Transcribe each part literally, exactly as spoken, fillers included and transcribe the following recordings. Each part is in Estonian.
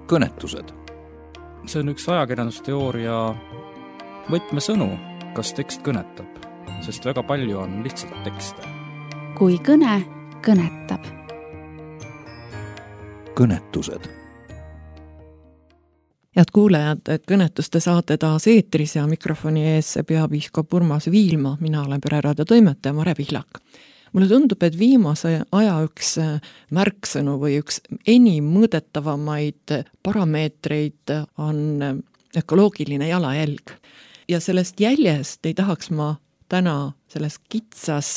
kõnetused. See on üks ajakirjandusteooria võtmesõnu, kas tekst kõnetab, sest väga palju on lihtsalt tekste. Kui kõne kõnetab. Kõnetused. Head kuulajad, kõnetuste saate taas eetris ja mikrofoni ees peapiiskop Urmas Viilma, mina olen Pereraadio toimetaja Mare Pihlak. Mulle tundub, et viimase aja üks märksõnu või üks enim mõõdetavamaid parameetreid on ökoloogiline jalajälg. Ja sellest jäljest ei tahaks ma täna selles kitsas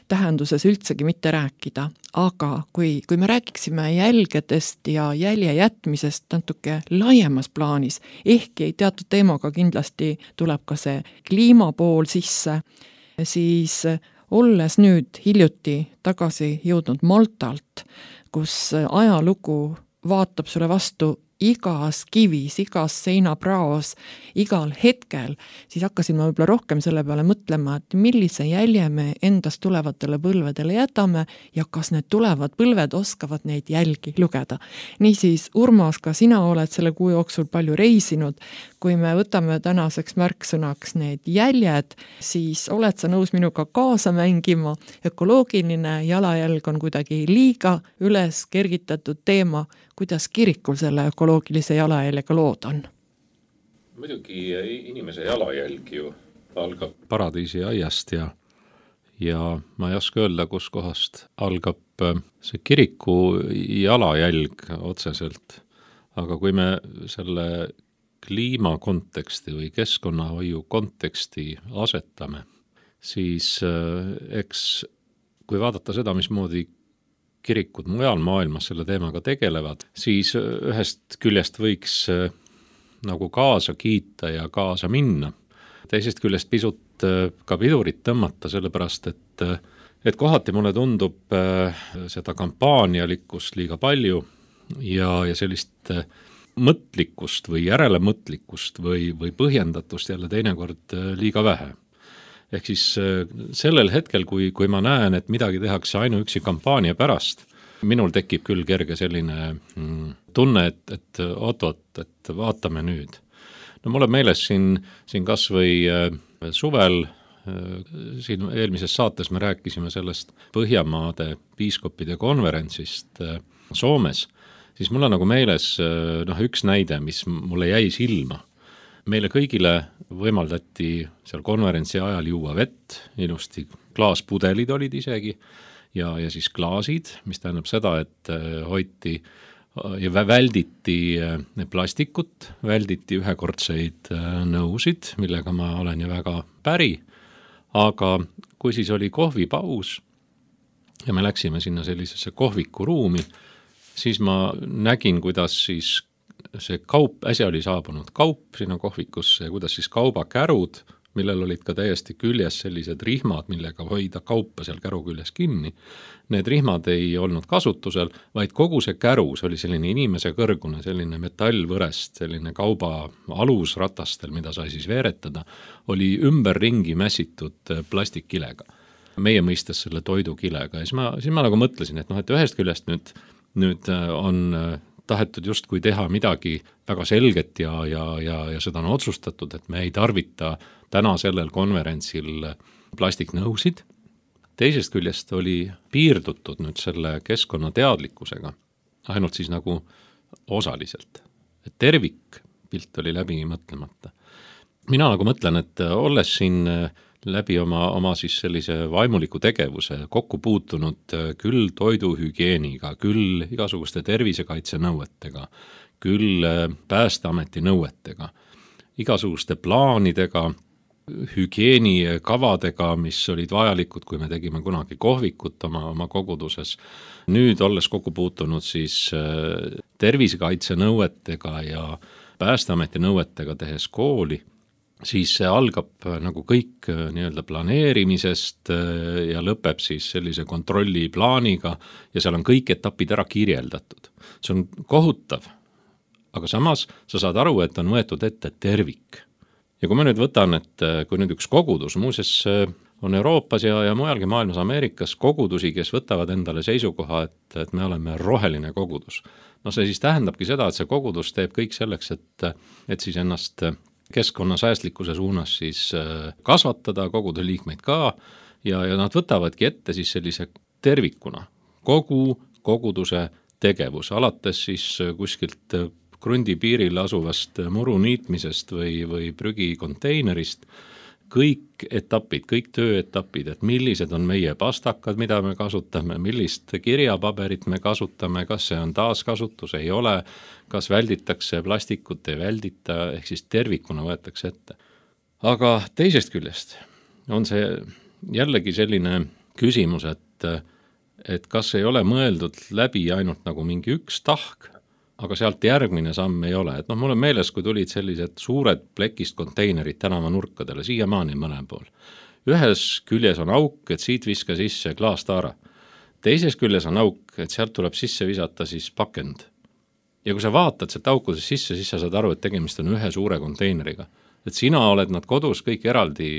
tähenduses üldsegi mitte rääkida, aga kui, kui me rääkiksime jälgedest ja jälje jätmisest natuke laiemas plaanis, ehkki teatud teemaga kindlasti tuleb ka see kliimapool sisse, siis olles nüüd hiljuti tagasi jõudnud Maltalt, kus ajalugu vaatab sulle vastu igas kivis, igas seinapraos, igal hetkel, siis hakkasin ma võib-olla rohkem selle peale mõtlema, et millise jälje me endast tulevatele põlvedele jätame ja kas need tulevad põlved oskavad neid jälgi lugeda. Niisiis, Urmas, ka sina oled selle kuu jooksul palju reisinud. Kui me võtame tänaseks märksõnaks need jäljed, siis oled sa nõus minuga kaasa mängima. Ökoloogiline jalajälg on kuidagi liiga üles kergitatud teema. Kuidas kirikul selle ökoloogilise jalajäljega lood on? Muidugi inimese jalajälg ju algab paradiisi aiast ja, ja ma ei oska öelda, kus kohast algab see kiriku jalajälg otseselt. Aga kui me selle kliima konteksti või keskkonnahoiu konteksti asetame, siis eks kui vaadata seda, mismoodi kirikud mujal maailmas selle teemaga tegelevad, siis ühest küljest võiks nagu kaasa kiita ja kaasa minna. Teisest küljest pisut ka pidurit tõmmata, sellepärast, et, et kohati mulle tundub seda kampaanialikkust liiga palju ja, ja sellist mõtlikkust või järelemõtlikkust või, või põhjendatust jälle teinekord liiga vähe. Ehk siis sellel hetkel, kui, kui ma näen, et midagi tehakse ainuüksi kampaania pärast, minul tekib küll kerge selline tunne, et, et oot-oot, et vaatame nüüd. No mulle meeles siin, siin kas või suvel, siin eelmises saates me rääkisime sellest Põhjamaade piiskopide konverentsist Soomes, siis mul on nagu meeles noh, üks näide, mis mulle jäi silma. Meile kõigile võimaldati seal konverentsi ajal juua vett, ilusti klaaspudelid olid isegi ja, ja siis klaasid, mis tähendab seda, et hoiti ja välditi plastikut, välditi ühekordseid nõusid, millega ma olen ju väga päri, aga kui siis oli kohvipaus ja me läksime sinna sellisesse kohviku ruumi, siis ma nägin, kuidas siis see kaup, äsja oli saabunud kaup sinna kohvikusse ja kuidas siis kaubakärud, millel olid ka täiesti küljes sellised rihmad, millega hoida kaupa seal käru küljes kinni. Need rihmad ei olnud kasutusel, vaid kogu see kärus oli selline inimese kõrgune, selline metallvõrest, selline kauba alusratastel, mida sai siis veeretada, oli ümberringi mässitud plastikkilega. Meie mõistes selle toidukilega. Ja siis ma, siis ma nagu mõtlesin, et, noh, et ühest küljest nüüd, nüüd on tahetud justkui teha midagi väga selget ja, ja, ja, ja seda on otsustatud, et me ei tarvita täna sellel konverentsil plastiknõusid. Teisest küljest oli piirdutud nüüd selle keskkonnateadlikkusega, ainult siis nagu osaliselt. Et tervikpilt oli läbi mõtlemata. Mina nagu mõtlen, et olles siin läbi oma, oma siis sellise vaimuliku tegevuse kokku puutunud küll toiduhügieeniga, küll igasuguste tervisekaitse nõuetega, küll Päästeameti nõuetega, igasuguste plaanidega, hügieenikavadega, mis olid vajalikud, kui me tegime kunagi kohvikut oma, oma koguduses. Nüüd olles kokku puutunud siis tervisekaitse nõuetega ja Päästeameti nõuetega tehes kooli, siis see algab nagu kõik nii-öelda planeerimisest ja lõpeb siis sellise kontrolliplaaniga ja seal on kõik etapid ära kirjeldatud. See on kohutav, aga samas sa saad aru, et on võetud ette tervik. Ja kui ma nüüd võtan, et kui nüüd üks kogudus, muuses on Euroopas ja, ja mujalgi maailmas Ameerikas kogudusi, kes võtavad endale seisukoha, et, et me oleme roheline kogudus. no see siis tähendabki seda, et see kogudus teeb kõik selleks, et, et siis ennast keskkonnasäästlikkuse suunas siis kasvatada, koguda liikmeid ka ja, ja nad võtavadki ette siis sellise tervikuna kogu koguduse tegevus, alates siis kuskilt krundi piiril asuvast muru niitmisest või, või prügikonteinerist, kõik etapid, kõik tööetapid, et millised on meie pastakad, mida me kasutame, millist kirjapaberit me kasutame, kas see on taaskasutus, ei ole, kas välditakse plastikut, ei väldita, ehk siis tervikuna võetakse ette. Aga teisest küljest on see jällegi selline küsimus, et, et kas ei ole mõeldud läbi ainult nagu mingi üks tahk, aga sealt järgmine samm ei ole. Et noh, mul on meeles, kui tulid sellised suured plekist konteinerid tänava nurkadele, siiamaani mõlem pool. Ühes küljes on auk, et siit viska sisse klaastaara. Teises küljes on auk, et sealt tuleb sisse visata siis pakend. Ja kui sa vaatad sealt aukudes sisse, siis sa saad aru, et tegemist on ühe suure konteineriga. Et sina oled nad kodus kõik eraldi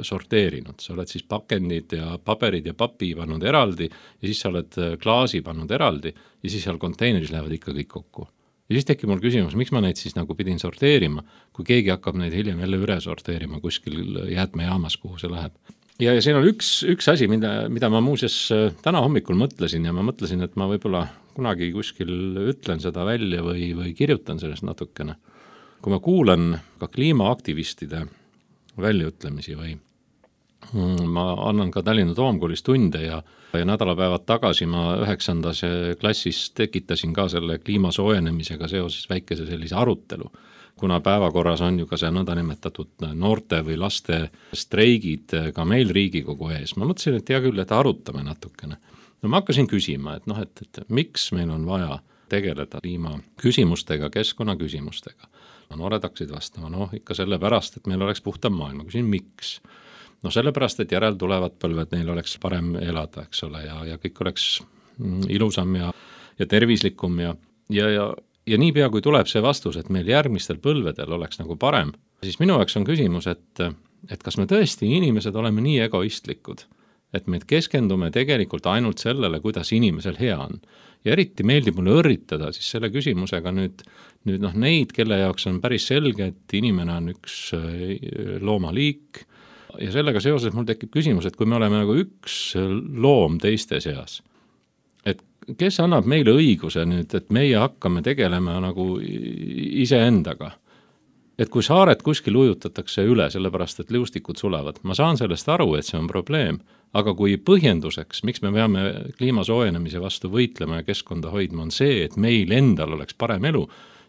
sorteerinud. Sa oled siis pakendid ja paberid ja papi pannud eraldi ja siis sa oled klaasi pannud eraldi ja siis seal konteineris lähevad ikka kõik kokku. Ja siis tekib mul küsimus, miks ma neid siis nagu pidin sorteerima, kui keegi hakkab neid hiljem jälle üle sorteerima kuskil jäätmejaamas, kuhu see läheb. Ja, ja siin on üks, üks asi, mida, mida ma muuseas täna hommikul mõtlesin ja ma mõtlesin, et ma võib-olla kunagi kuskil ütlen seda välja või, või kirjutan sellest natukene. Kui ma kuulan ka kliimaaktivistide väljaütlemisi või ma annan ka Tallinna Toomkoolis tunde ja, ja nädalapäevad tagasi ma üheksandas klassis tekitasin ka selle kliimasoojenemisega seoses väikese sellise arutelu, kuna päevakorras on ju ka see nõndanimetatud noorte või laste streigid ka meil Riigikogu ees. Ma mõtlesin, et hea küll, et arutame natukene. No ma hakkasin küsima, et noh, et, et miks meil on vaja tegeleda kliima küsimustega, keskkonna küsimustega. No, noored hakkasid vastama, noh ikka sellepärast, et meil oleks puhtam maailm. Ma küsin, miks? No sellepärast, et järel tulevad põlved, neil oleks parem elada, eks ole, ja, ja kõik oleks ilusam ja, ja tervislikum ja, ja, ja, ja niipea, kui tuleb see vastus, et meil järgmistel põlvedel oleks nagu parem, siis minu jaoks on küsimus, et, et kas me tõesti inimesed oleme nii egoistlikud, et me keskendume tegelikult ainult sellele, kuidas inimesel hea on. Ja eriti meeldib mulle õrritada siis selle küsimusega nüüd, nüüd noh, neid, kelle jaoks on päris selge, et inimene on üks loomaliik ja sellega seoses mul tekib küsimus, et kui me oleme nagu üks loom teiste seas, et kes annab meile õiguse nüüd, et meie hakkame tegelema nagu iseendaga. Et kui saared kuskil ujutatakse üle, sellepärast et liustikud sulevad, ma saan sellest aru, et see on probleem, aga kui põhjenduseks, miks me peame kliimasoojenemise vastu võitlema ja keskkonda hoidma, on see, et meil endal oleks parem elu,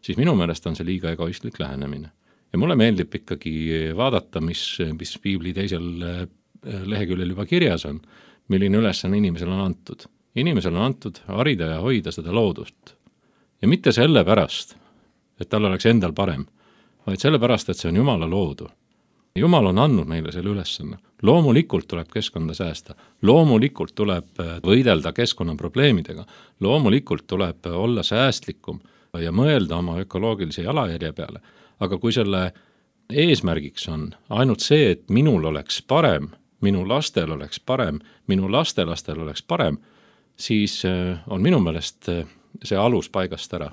siis minu meelest on see liiga egoistlik lähenemine. Ja mulle meeldib ikkagi vaadata, mis, mis piibli teisel leheküljel juba kirjas on, milline ülesanne inimesel on antud. Inimesel on antud harida ja hoida seda loodust. Ja mitte selle pärast, et tal oleks endal parem, vaid sellepärast, et see on Jumala loodu. Jumal on andnud meile selle ülesanne. Loomulikult tuleb keskkonda säästa, loomulikult tuleb võidelda keskkonnaprobleemidega, loomulikult tuleb olla säästlikum ja mõelda oma ökoloogilise jalajärje peale. Aga kui selle eesmärgiks on ainult see, et minul oleks parem, minu lastel oleks parem, minu lastelastel oleks parem, siis on minu meelest see alus paigast ära.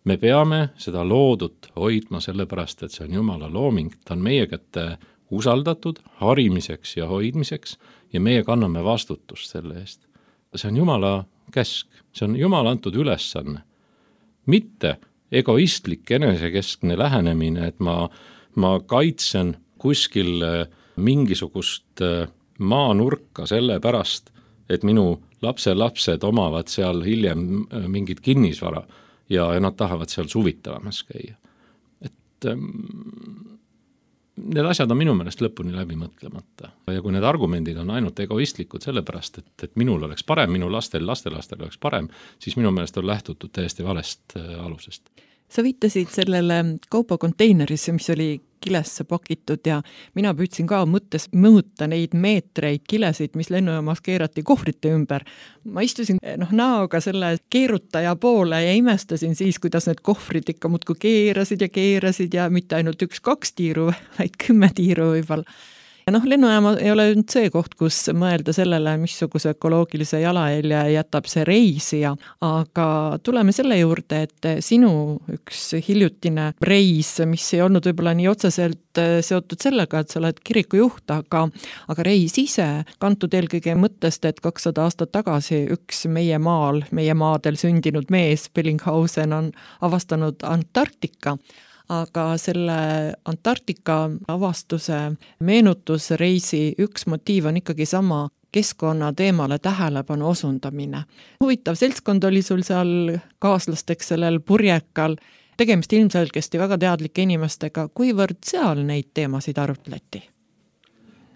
Me peame seda loodut hoidma sellepärast, et see on Jumala looming, ta on meie kätte usaldatud harimiseks ja hoidmiseks ja meie kanname vastutust selle eest. See on Jumala käsk, see on Jumala antud ülesanne. Mitte egoistlik enesekeskne lähenemine, et ma, ma kaitsen kuskil mingisugust maanurka selle pärast, et minu lapse lapsed omavad seal hiljem mingit kinnisvara ja nad tahavad seal suvitavamas käia. Et ähm, need asjad on minu meelest lõpuni läbi mõtlemata. Ja kui need argumendid on ainult egoistlikud sellepärast, et, et minul oleks parem, minu lastel, lastelastel oleks parem, siis minu meelest on lähtutud täiesti valest äh, alusest. Sa viitasid sellele kaubakonteinerisse, mis oli kilesse pakitud ja mina püüdsin ka mõttes mõõta neid meetreid kilesid, mis lennujaamas keerati kohvrite ümber. Ma istusin noh, näoga selle keerutaja poole ja imestasin siis, kuidas need kohvrid ikka muudkui keerasid ja keerasid ja mitte ainult üks-kaks tiiru, vaid kümme tiiru võib-olla. Noh, lennujaama ei ole nüüd see koht, kus mõelda sellele, missuguse ökoloogilise jalajälje jätab see reisija, aga tuleme selle juurde, et sinu üks hiljutine reis, mis ei olnud võib-olla nii otseselt seotud sellega, et sa oled kirikujuht, aga, aga reis ise kantud eelkõige mõttest, et kakssada aastat tagasi üks meie maal, meie maadel sündinud mees, Bellinghausen, on avastanud Antarktika. Aga selle Antarktika avastuse meenutusreisi üks motiiv on ikkagi sama keskkonna teemale tähelepanu osundamine. Huvitav seltskond oli sul seal kaaslasteks sellel purjekal, tegemist ilmselgesti väga teadlike inimestega, kuivõrd seal neid teemasid arutleti?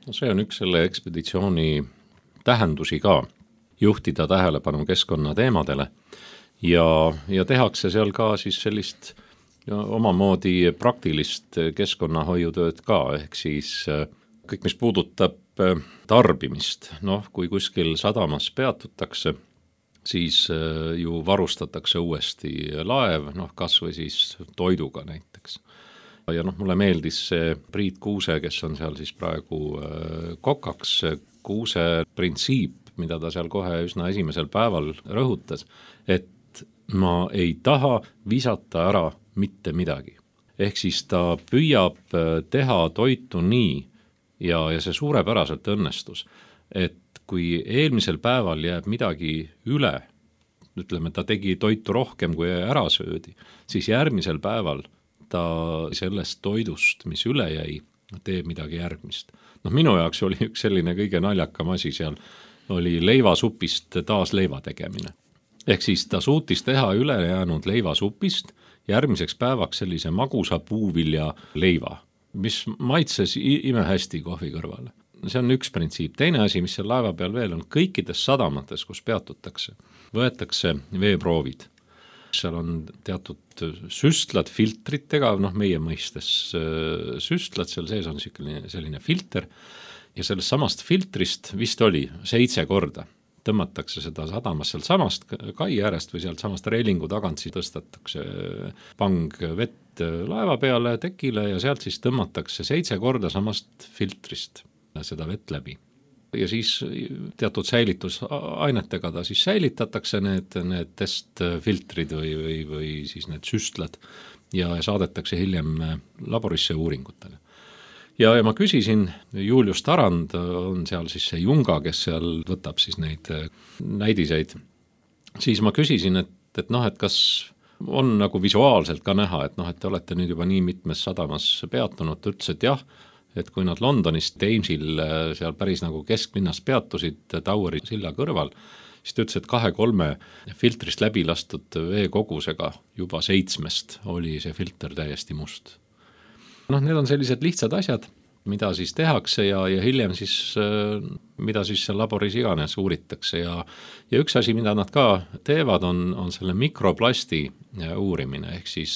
No see on üks selle ekspeditsiooni tähendusi ka, juhtida tähelepanu keskkonna teemadele ja, ja tehakse seal ka siis sellist ja omamoodi praktilist keskkonnahoiutööd ka, ehk siis kõik, mis puudutab tarbimist, noh, kui kuskil sadamas peatutakse, siis ju varustatakse uuesti laev, noh, kas või siis toiduga näiteks. Ja noh, mulle meeldis see Priit Kuuse, kes on seal siis praegu kokaks, Kuuse printsiip, mida ta seal kohe üsna esimesel päeval rõhutas, et ma ei taha visata ära mitte midagi. Ehk siis ta püüab teha toitu nii ja, ja see suurepäraselt õnnestus, et kui eelmisel päeval jääb midagi üle, ütleme, ta tegi toitu rohkem kui ära söödi, siis järgmisel päeval ta sellest toidust, mis üle jäi, teeb midagi järgmist. Noh, minu jaoks oli üks selline kõige naljakam asi seal, oli leivasupist taas leiva tegemine. Ehk siis ta suutis teha ülejäänud leivasupist järgmiseks päevaks sellise magusa puuvilja leiva, mis maitses imehästi kohvi kõrvale. See on üks printsiip. Teine asi, mis seal laeva peal veel on, kõikides sadamates, kus peatutakse, võetakse veeproovid. Seal on teatud süstlad filtritega, noh meie mõistes süstlad, seal sees on selline, selline filter ja sellest samast filtrist vist oli seitse korda. Tõmmatakse seda sadamas seal samast kai äärest või sealt samast reilingu tagant, siis tõstatakse pang vett laeva peale tekile ja sealt siis tõmmatakse seitse korda samast filtrist seda vett läbi. Ja siis teatud säilitusainetega ta siis säilitatakse need, need testfiltrid või, või, või siis need süstlad ja saadetakse hiljem laborisse uuringutele. Ja, ja ma küsisin, Julius Tarand on seal siis see Junga, kes seal võtab siis neid näidiseid, siis ma küsisin, et, et noh, et kas on nagu visuaalselt ka näha, et noh, et te olete nüüd juba nii mitmes sadamas peatunud, ta ütles, et jah, et kui nad Londonist Thamesil seal päris nagu kesklinnas peatusid Toweri silla kõrval, siis ta ütles, et kahe-kolme filtrist läbi lastud veekogusega juba seitsmest oli see filter täiesti must. Noh, need on sellised lihtsad asjad, mida siis tehakse ja, ja hiljem siis, mida siis seal laboris iganes uuritakse ja, ja üks asi, mida nad ka teevad, on, on selle mikroplasti uurimine, ehk siis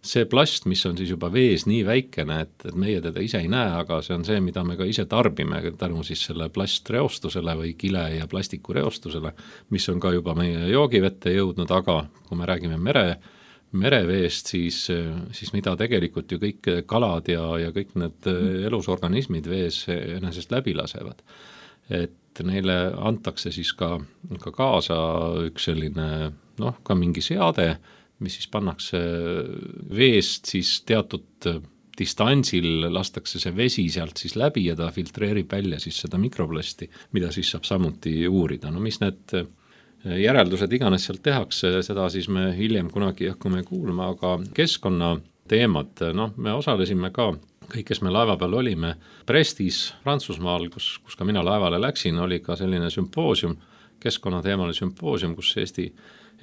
see plast, mis on siis juba vees nii väikene, et, et meie teda ise ei näe, aga see on see, mida me ka ise tarbime tänu siis selle plastreostusele või kile ja plastikureostusele, mis on ka juba meie joogivette jõudnud, aga kui me räägime mere mereveest, siis, siis mida tegelikult ju kõik kalad ja, ja kõik need elusorganismid vees enesest läbi lasevad. Et neile antakse siis ka, ka kaasa üks selline, noh, ka mingi seade, mis siis pannakse veest siis teatud distantsil, lastakse see vesi sealt siis läbi ja ta filtreerib välja siis seda mikroplasti, mida siis saab samuti uurida. No mis need järeldused iganes sealt tehakse, seda siis me hiljem kunagi hakkame kuulma, aga keskkonna teemad, noh, me osalesime ka, kõik, kes me laeva peal olime, Brestis, Prantsusmaal, kus, kus ka mina laevale läksin, oli ka selline sümpoosium, keskkonnateemaline sümpoosium, kus Eesti,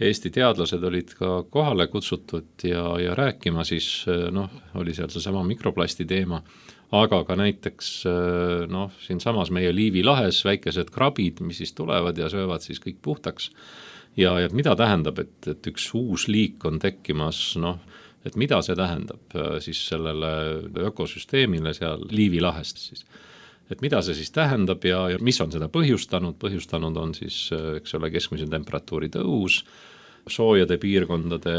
Eesti teadlased olid ka kohale kutsutud ja, ja rääkima siis, noh, oli seal seesama mikroplasti teema, aga ka näiteks noh, siin samas meie Liivi lahes väikesed krabid, mis siis tulevad ja söövad siis kõik puhtaks. Ja, ja mida tähendab, et, et üks uus liik on tekkimas, noh, et mida see tähendab siis sellele ökosüsteemile seal Liivi lahest siis. Et mida see siis tähendab ja, ja mis on seda põhjustanud, põhjustanud on siis, eks ole, keskmise temperatuuri tõus, soojade piirkondade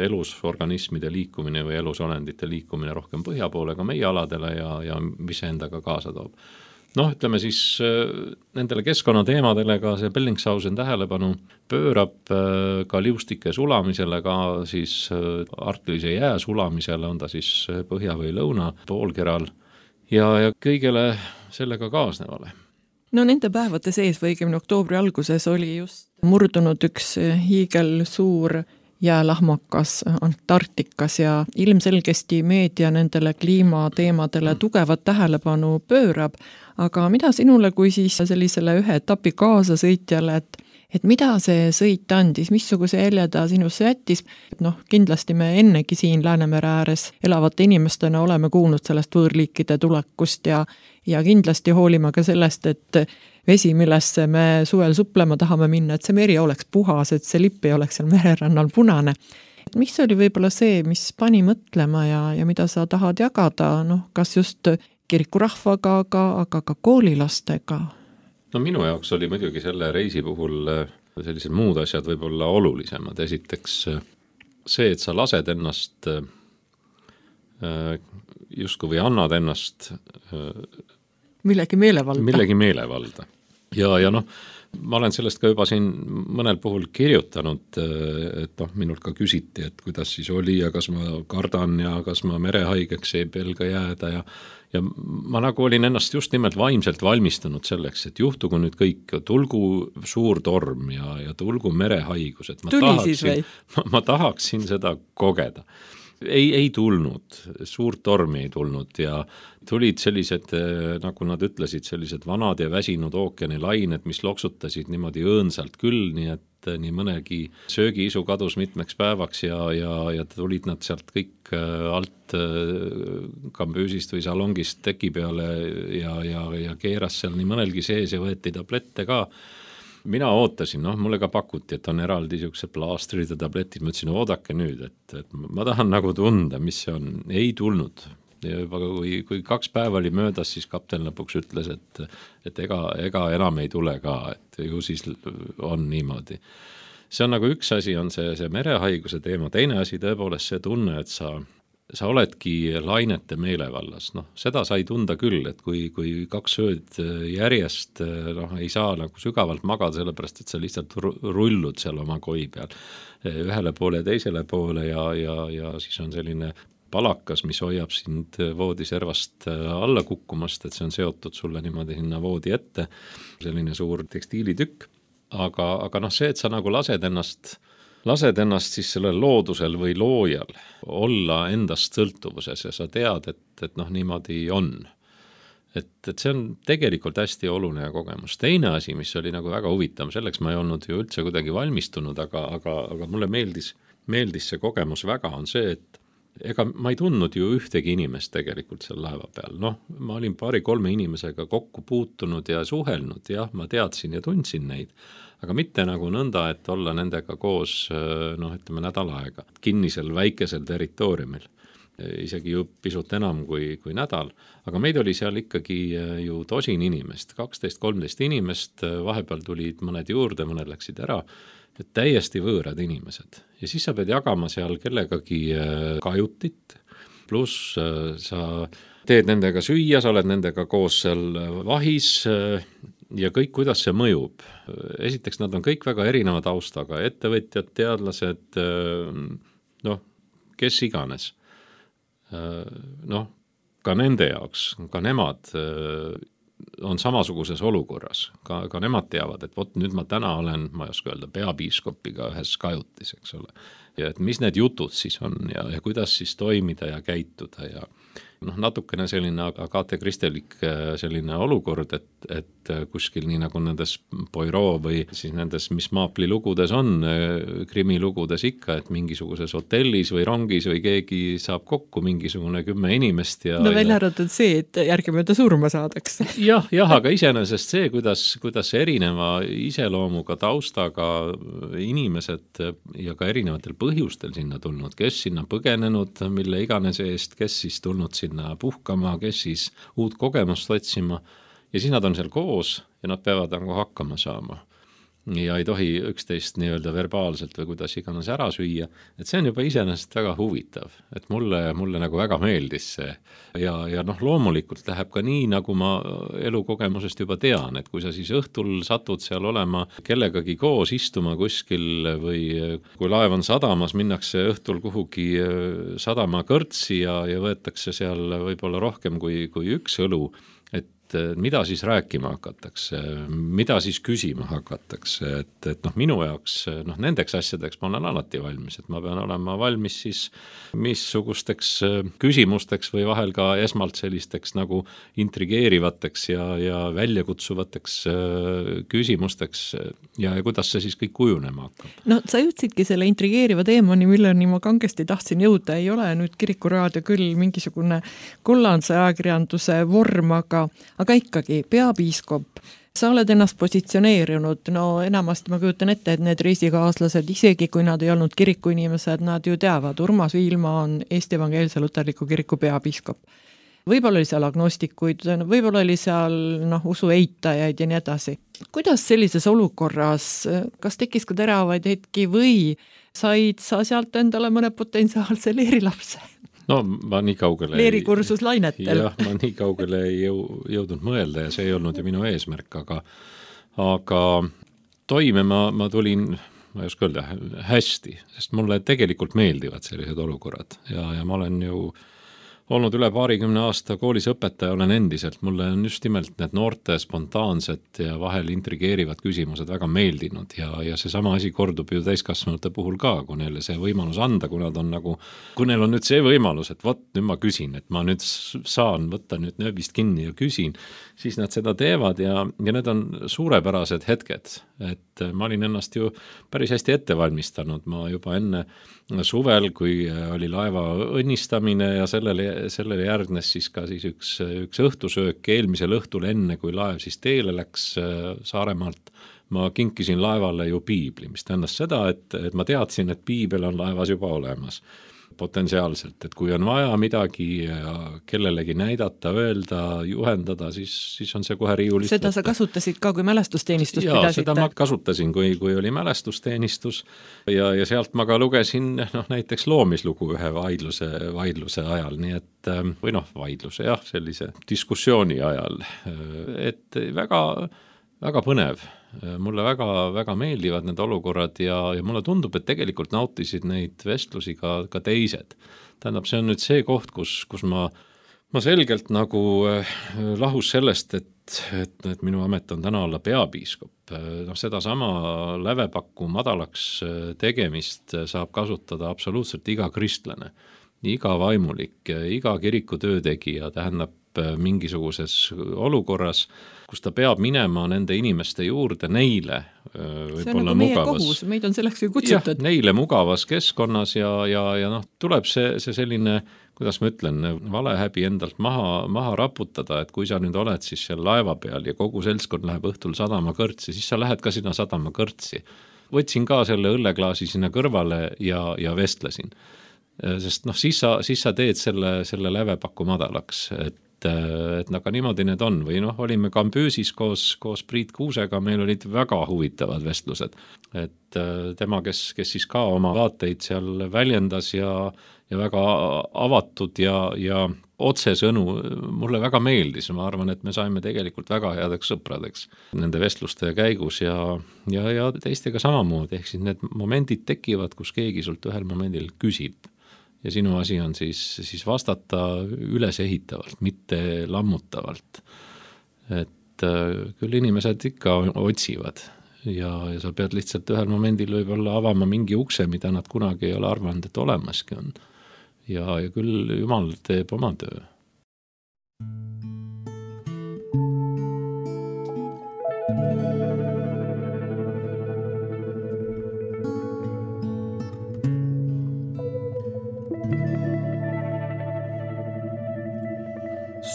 elusorganismide liikumine või elusolendite liikumine rohkem põhja poole ka meie aladele ja, ja mis endaga kaasa toob. Noh, ütleme siis nendele keskkonnateemadele ka see Bellingshausen tähelepanu pöörab ka liustike sulamisele, ka siis arktilise jää sulamisele, on ta siis põhja või lõuna poolkeral ja, ja kõigele sellega kaasnevale. No nende päevade sees või õigemini oktoobri alguses oli just murdunud üks hiigel suur jäälahmakas Antarktikas ja ilmselgesti meedia nendele kliimateemadele tugevat tähelepanu pöörab, aga mida sinule kui siis sellisele ühe etapi kaasasõitjale, et, et mida see sõit andis, missuguse jälje ta sinusse jättis? Noh, kindlasti me ennegi siin Läänemere ääres elavate inimestena oleme kuulnud sellest võõrliikide tulekust ja, ja kindlasti hoolime ka sellest, et vesi, millesse me suvel suplema tahame minna, et see meri oleks puhas, et see lipp ei oleks seal mererannal punane. Mis oli võib-olla see, mis pani mõtlema ja, ja mida sa tahad jagada, noh, kas just kirikurahvaga, aga, aga ka koolilastega? No minu jaoks oli muidugi selle reisi puhul sellised muud asjad võib-olla olulisemad. Esiteks see, et sa lased ennast justkui või annad ennast millegi meelevalda. Millegi meelevalda. Ja, ja noh, ma olen sellest ka juba siin mõnel puhul kirjutanud, et noh, minult ka küsiti, et kuidas siis oli ja kas ma kardan ja kas ma merehaigeks ei pelga jääda ja, ja ma nagu olin ennast just nimelt vaimselt valmistunud selleks, et juhtugu nüüd kõik, tulgu suur torm ja, ja tulgu merehaigus, et ma Tuli tahaksin, ma, ma tahaksin seda kogeda. Ei, ei tulnud, suurt tormi ei tulnud ja tulid sellised, nagu nad ütlesid, sellised vanad ja väsinud ookeanilained, mis loksutasid niimoodi õõnsalt küll, nii et nii mõnegi söögiisu kadus mitmeks päevaks ja, ja, ja tulid nad sealt kõik alt kambüüsist või salongist teki peale ja, ja, ja keeras seal nii mõnelgi sees ja võeti tablette ka. Mina ootasin, noh, mulle ka pakuti, et on eraldi niisugused plaastrid ja tabletid, ma ütlesin, oodake nüüd, et, et ma tahan nagu tunda, mis see on, ei tulnud. Ja juba kui, kui kaks päeva oli möödas, siis kapten lõpuks ütles, et, et ega, ega enam ei tule ka, et ju siis on niimoodi. See on nagu üks asi, on see, see merehaiguse teema, teine asi tõepoolest see tunne, et sa sa oledki lainete meelevallas, noh, seda sai tunda küll, et kui, kui kaks ööd järjest noh, ei saa nagu sügavalt magada, sellepärast, et sa lihtsalt rullud seal oma koi peal ühele poole ja teisele poole ja, ja, ja siis on selline palakas, mis hoiab sind voodiservast alla kukkumast, et see on seotud sulle niimoodi sinna voodi ette, selline suur tekstiilitükk, aga, aga noh, see, et sa nagu lased ennast lased ennast siis sellel loodusel või loojal olla endast sõltuvuses ja sa tead, et, et noh, niimoodi on. Et, et see on tegelikult hästi oluline kogemus. Teine asi, mis oli nagu väga huvitav, selleks ma ei olnud ju üldse kuidagi valmistunud, aga, aga, aga mulle meeldis, meeldis see kogemus väga, on see, et ega ma ei tundnud ju ühtegi inimest tegelikult seal laeva peal. Noh, ma olin paari-kolme inimesega kokku puutunud ja suhelnud, jah, ma teadsin ja tundsin neid, aga mitte nagu nõnda, et olla nendega koos, noh, ütleme nädal aega, kinnisel väikesel territooriumil, isegi ju pisut enam kui, kui nädal, aga meid oli seal ikkagi ju tosin inimest, kaksteist kolmteist inimest, vahepeal tulid mõned juurde, mõned läksid ära, et täiesti võõrad inimesed. Ja siis sa pead jagama seal kellegagi kajutit, pluss sa teed nendega süüa, sa oled nendega koos seal vahis ja kõik, kuidas see mõjub. Esiteks, nad on kõik väga erineva taustaga, ettevõtjad, teadlased, noh, kes iganes. Noh, ka nende jaoks, ka nemad on samasuguses olukorras, ka, ka nemad teavad, et vot nüüd ma täna olen, ma ei oska öelda, peapiiskopiga ühes kajutis, eks ole. Ja et mis need jutud siis on ja, ja kuidas siis toimida ja käituda ja noh, natukene selline Agathe Christielik selline olukord, et, et kuskil nii nagu nendes Poirot või siis nendes, mis Maapli lugudes on, krimilugudes ikka, et mingisuguses hotellis või rongis või keegi saab kokku mingisugune kümme inimest ja... No välja arvatud see, et järgimööda surma saadakse. jah, jah, aga iseenesest see, kuidas, kuidas erineva iseloomuga, taustaga inimesed ja ka erinevatel põhjustel sinna tulnud, kes sinna põgenenud, mille iganes eest, kes siis tulnud sinna puhkama, kes siis uut kogemust otsima ja siis nad on seal koos ja nad peavad nagu hakkama saama. ja ei tohi üksteist nii-öelda verbaalselt või kuidas iganes ära süüa, et see on juba iseenesest väga huvitav, et mulle, mulle nagu väga meeldis see ja, ja noh, loomulikult läheb ka nii, nagu ma elukogemusest juba tean, et kui sa siis õhtul satud seal olema kellegagi koos istuma kuskil või kui laev on sadamas, minnakse õhtul kuhugi sadama kõrtsi ja, ja võetakse seal võib-olla rohkem kui, kui üks õlu, et mida siis rääkima hakatakse, mida siis küsima hakatakse, et, et noh, minu jaoks noh, nendeks asjadeks ma olen alati valmis, et ma pean olema valmis siis missugusteks küsimusteks või vahel ka esmalt sellisteks nagu intrigeerivateks ja, ja väljakutsuvateks küsimusteks ja, ja kuidas see siis kõik kujunema hakkab. No sa jõudsidki selle intrigeeriva teemani, milleni ma kangesti tahtsin jõuda, ei ole nüüd Kirikuraadio küll mingisugune kollandse ajakirjanduse vorm, aga aga ikkagi, peapiiskop, sa oled ennast positsioneerinud, no enamasti ma kujutan ette, et need reisikaaslased, isegi kui nad ei olnud kirikuinimesed, nad ju teavad, Urmas Viilma on Eesti Evangeelse Luterliku Kiriku peapiiskop. Võib-olla oli seal agnostikuid, võib-olla oli seal noh, usu eitajaid ja nii edasi. Kuidas sellises olukorras, kas tekkis ka teravaid hetki või said sa sealt endale mõne potentsiaalse leerilapse? No ma nii kaugele leerikursus lainetel. Jah, ma nii kaugele ei jõu, jõudnud mõelda ja see ei olnud ju minu eesmärk, aga, aga toime ma, ma tulin, ma ei oska öelda, hästi, sest mulle tegelikult meeldivad sellised olukorrad ja, ja ma olen ju olnud üle paarikümne aasta koolis õpetaja, olen endiselt, mulle on just nimelt need noorte spontaansed ja vahel intrigeerivad küsimused väga meeldinud ja, ja see sama asi kordub ju täiskasvanute puhul ka, kui neile see võimalus anda, kui nad on nagu, kui neil on nüüd see võimalus, et vot nüüd ma küsin, et ma nüüd saan võtta nüüd nööbist kinni ja küsin, siis nad seda teevad ja, ja need on suurepärased hetked, et ma olin ennast ju päris hästi ette valmistanud, ma juba enne suvel, kui oli laeva õnnistamine ja sellele sellele järgnes siis ka siis üks, üks õhtusöök eelmisel õhtul enne, kui laev siis teele läks Saaremaalt. Ma kinkisin laevale ju piibli, mis tähendas seda, et, et ma teadsin, et piibel on laevas juba olemas potentsiaalselt, et kui on vaja midagi kellelegi näidata, öelda, juhendada, siis, siis on see kohe riiulist. Seda sa kasutasid ka, kui mälestusteenistust ja, pidasite? Seda ma kasutasin, kui, kui oli mälestusteenistus ja, ja sealt ma ka lugesin noh, näiteks loomislugu ühe vaidluse, vaidluse ajal, nii et või noh, vaidluse jah, sellise diskussiooni ajal, et väga, väga põnev. Mulle väga, väga meeldivad need olukorrad ja, ja mulle tundub, et tegelikult nautisid neid vestlusi ka, ka teised. Tähendab, see on nüüd see koht, kus, kus ma, ma selgelt nagu lahus sellest, et, et, et minu amet on täna olla peapiiskop. No, seda sama lävepakku madalaks tegemist saab kasutada absoluutselt iga kristlane, iga vaimulik, iga kiriku töötegija, tähendab mingisuguses olukorras, kus ta peab minema nende inimeste juurde neile see on nagu meie mugavas, kohus, meid on selleks ju kutsutud. Jah, neile mugavas keskkonnas ja, ja, ja noh, tuleb see, see selline, kuidas ma ütlen, valehäbi endalt maha, maha raputada, et kui sa nüüd oled siis seal laeva peal ja kogu seltskond läheb õhtul sadama kõrtsi, siis sa lähed ka sinna sadama kõrtsi. Võtsin ka selle õlleklaasi sinna kõrvale ja, ja vestlesin. Sest noh, siis sa, siis sa teed selle, selle lävepaku madalaks, et et aga niimoodi need on või noh, olime Kambüüsis koos, koos Priit Kuusega, meil olid väga huvitavad vestlused, et tema, kes, kes siis ka oma vaateid seal väljendas ja, ja väga avatud ja, ja otsesõnu mulle väga meeldis, ma arvan, et me saime tegelikult väga headeks sõpradeks nende vestluste käigus ja, ja, ja teistega samamoodi, ehk siis need momendid tekivad, kus keegi sult ühel momendil küsib. Ja sinu asi on siis, siis vastata ülesehitavalt, mitte lammutavalt. Et küll inimesed ikka otsivad ja, ja sa pead lihtsalt ühel momendil võib-olla avama mingi ukse, mida nad kunagi ei ole arvanud, et olemaski on. Ja, ja küll Jumal teeb oma töö.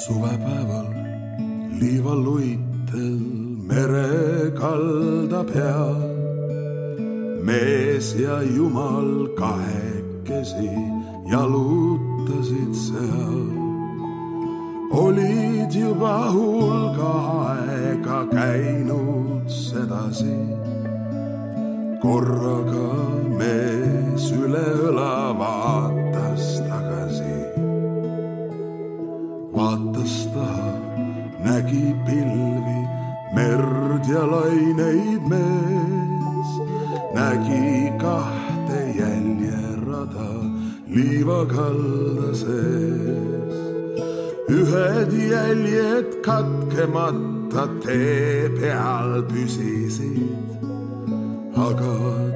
Suvepäeval liivaluitel merekalda peal mees ja Jumal kahekesi jalutasid seal. Olid juba hulga aega käinud sedasi korraga mees üle õla vaatas tagasi. Vaatas taha, nägi pilvi, merd ja laineid mees. Nägi kahte jäljerada liivakalda sees. Ühed jäljed katkemata tee peal püsisid, aga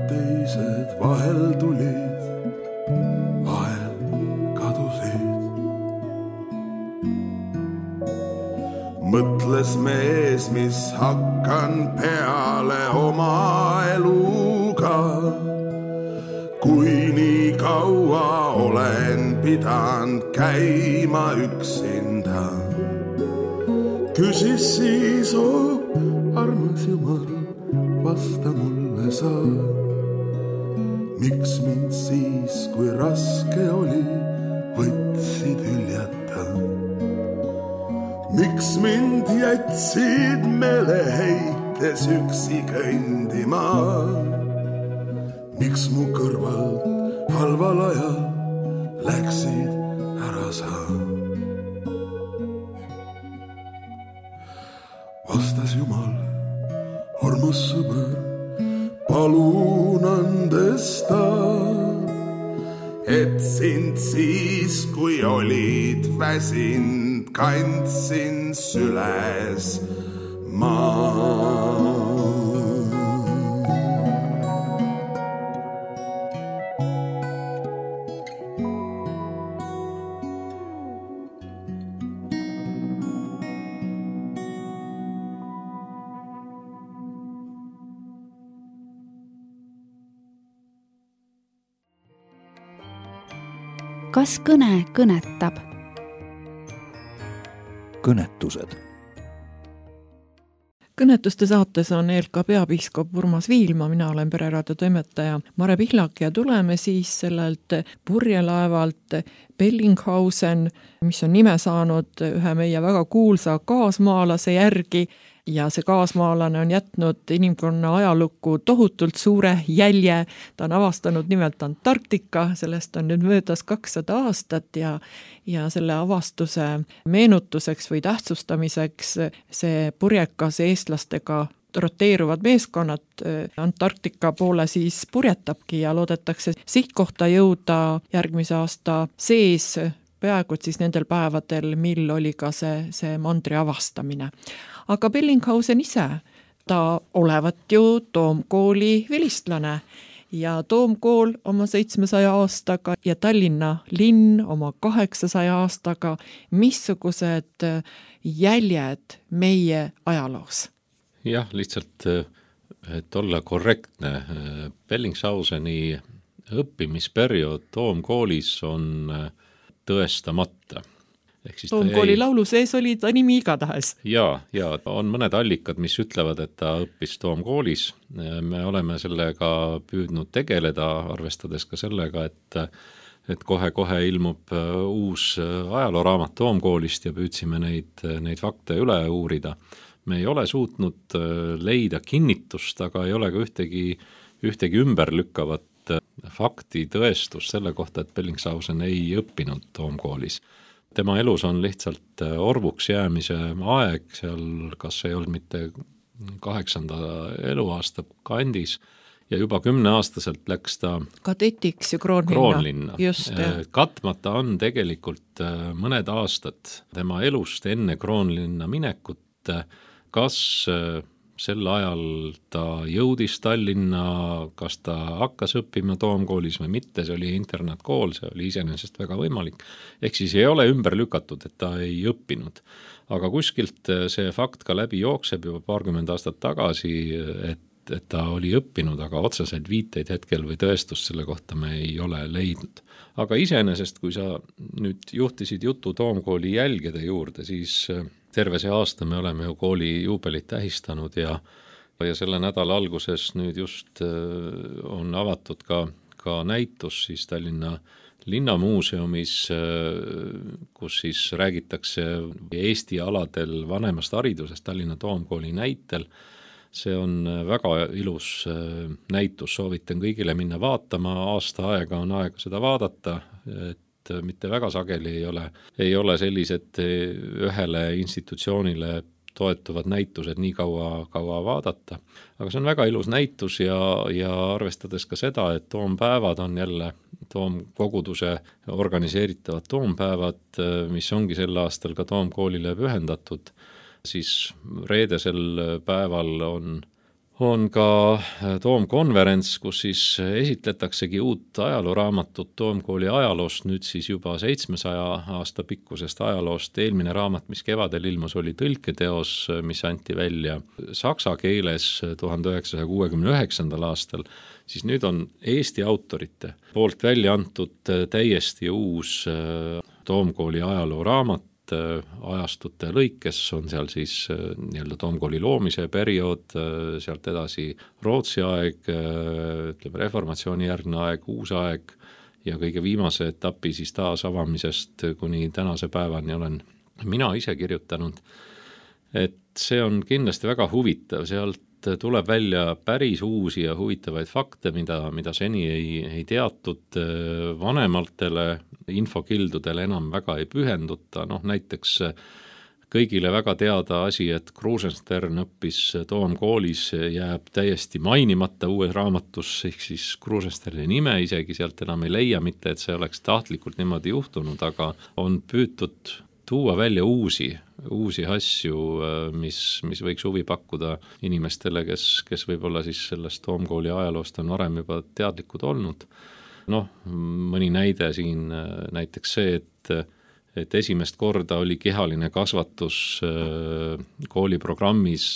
teised vahel tulid, vahel kadusid. Mõtles mees, mis hakkan peale oma eluga, kui nii kaua olen pidanud käima üksinda. Küsis siis, oh, armas Jumal, vasta mulle sa. Miks mind siis, kui raske oli, võtsid hüljata? Miks mind jätsid meeleheites üksi kõndima? Miks mu kõrvalt halval ajal läksid ära sa? Vastas Jumal, armas sõber, palun andesta, et sind siis, kui olid väsind, kandsin süles maa. Kas kõne kõnetab? Kõnetused. Kõnetuste saates on E L K peapiiskop Urmas Viilma, mina olen pereraadio toimetaja Mare Pihlak ja tuleme siis sellelt purjelaevalt Bellinghausen, mis on nime saanud ühe meie väga kuulsa kaasmaalase järgi. Ja see kaasmaalane on jätnud inimkonna ajalukku tohutult suure jälje. Ta on avastanud nimelt Antarktika, sellest on nüüd möödas kakssada aastat ja, ja selle avastuse meenutuseks või tähtsustamiseks see purjekas eestlastega roteeruvad meeskonnad Antarktika poole siis purjetabki ja loodetakse sihtkohta jõuda järgmise aasta sees, peaaegu siis nendel päevadel, mil oli ka see, see mandri avastamine. Aga Bellinghausen ise, ta olevat ju Toomkooli vilistlane ja Toomkool oma seitsmesaja aastaga ja Tallinna linn oma kaheksasaja aastaga, missugused jäljed meie ajaloos? Jah, lihtsalt, et olla korrektne, Bellingshauseni õppimisperiood Toomkoolis on tõestamata. Toomkooli jäi... laulu sees oli ta nimi igatahes. Ja, ja on mõned allikad, mis ütlevad, et ta õppis Toomkoolis. Me oleme sellega püüdnud tegeleda, arvestades ka sellega, et, et kohe-kohe ilmub uus ajalooraamat Toomkoolist ja püüdsime neid, neid fakte üle uurida. Me ei ole suutnud leida kinnitust, aga ei ole ka ühtegi, ühtegi ümberlükkavat fakti tõestus selle kohta, et Bellingshausen ei õppinud Toomkoolis. Tema elus on lihtsalt orvuks jäämise aeg, seal kas ei olnud mitte kaheksanda eluaasta kandis ja juba kümneaastaselt läks ta kadetiks ju Kroonlinna. Kroonlinna. Just, katmata on tegelikult mõned aastad tema elust enne Kroonlinna minekut, kas sel ajal ta jõudis Tallinna, kas ta hakkas õppima Toomkoolis või mitte, see oli internaatkool, see oli iseenesest väga võimalik. Ehk siis ei ole ümber lükatud, et ta ei õppinud. Aga kuskilt see fakt ka läbi jookseb juba paarkümmend aastat tagasi, et, et ta oli õppinud, aga otseselt viiteid hetkel või tõestust selle kohta me ei ole leidnud. Aga iseenesest, kui sa nüüd juhtisid jutu Toomkooli jälgede juurde, siis terve see aasta me oleme ju kooli juubelit tähistanud ja, ja selle nädala alguses nüüd just on avatud ka, ka näitus siis Tallinna linnamuuseumis, kus siis räägitakse Eesti aladel vanemast haridusest Tallinna Toomkooli näitel. see on väga ilus näitus, soovitan kõigile minna vaatama, aasta aega on aega seda vaadata, et mitte väga sageli ei ole, ei ole sellised ühele institutsioonile toetuvad näitused nii kaua, kaua vaadata. Aga see on väga ilus näitus ja, ja arvestades ka seda, et toompäevad on jälle toomkoguduse organiseeritavad toompäevad, mis ongi sel aastal ka toomkoolile pühendatud, siis reedesel päeval on, on ka toomkonverents, kus siis esitletaksegi uut ajalooraamatut toomkooli ajaloost, nüüd siis juba seitsmesaja aasta pikkusest ajaloost. Eelmine raamat, mis kevadel ilmus, oli tõlketeos, mis anti välja saksa keeles tuhande üheksasaja kuuekümne üheksandal aastal, siis nüüd on Eesti autorite poolt välja antud täiesti uus toomkooli ajalooraamat, ajastute lõikes on seal siis nii-öelda toomkooli loomise periood, sealt edasi Rootsi aeg, ütleme reformatsiooni järgne aeg, uus aeg ja kõige viimase etapi siis taasavamisest kuni tänase päevani olen mina ise kirjutanud. Et see on kindlasti väga huvitav, sealt tuleb välja päris uusi ja huvitavaid fakte, mida, mida seni ei, ei teatud, vanematele infokildudele enam väga ei pühenduta, noh näiteks kõigile väga teada asi, et Krusenstern õppis toomkoolis, jääb täiesti mainimata uues raamatus, ehk siis Krusensterni nime isegi sealt enam ei leia, mitte et see oleks tahtlikult niimoodi juhtunud, aga on püütud tuua välja uusi, uusi asju, mis, mis võiks huvi pakkuda inimestele, kes, kes võib-olla siis sellest toomkooli ajaloost on varem juba teadlikud olnud. Noh, mõni näide siin näiteks see, et, et esimest korda oli kehaline kasvatus kooliprogrammis,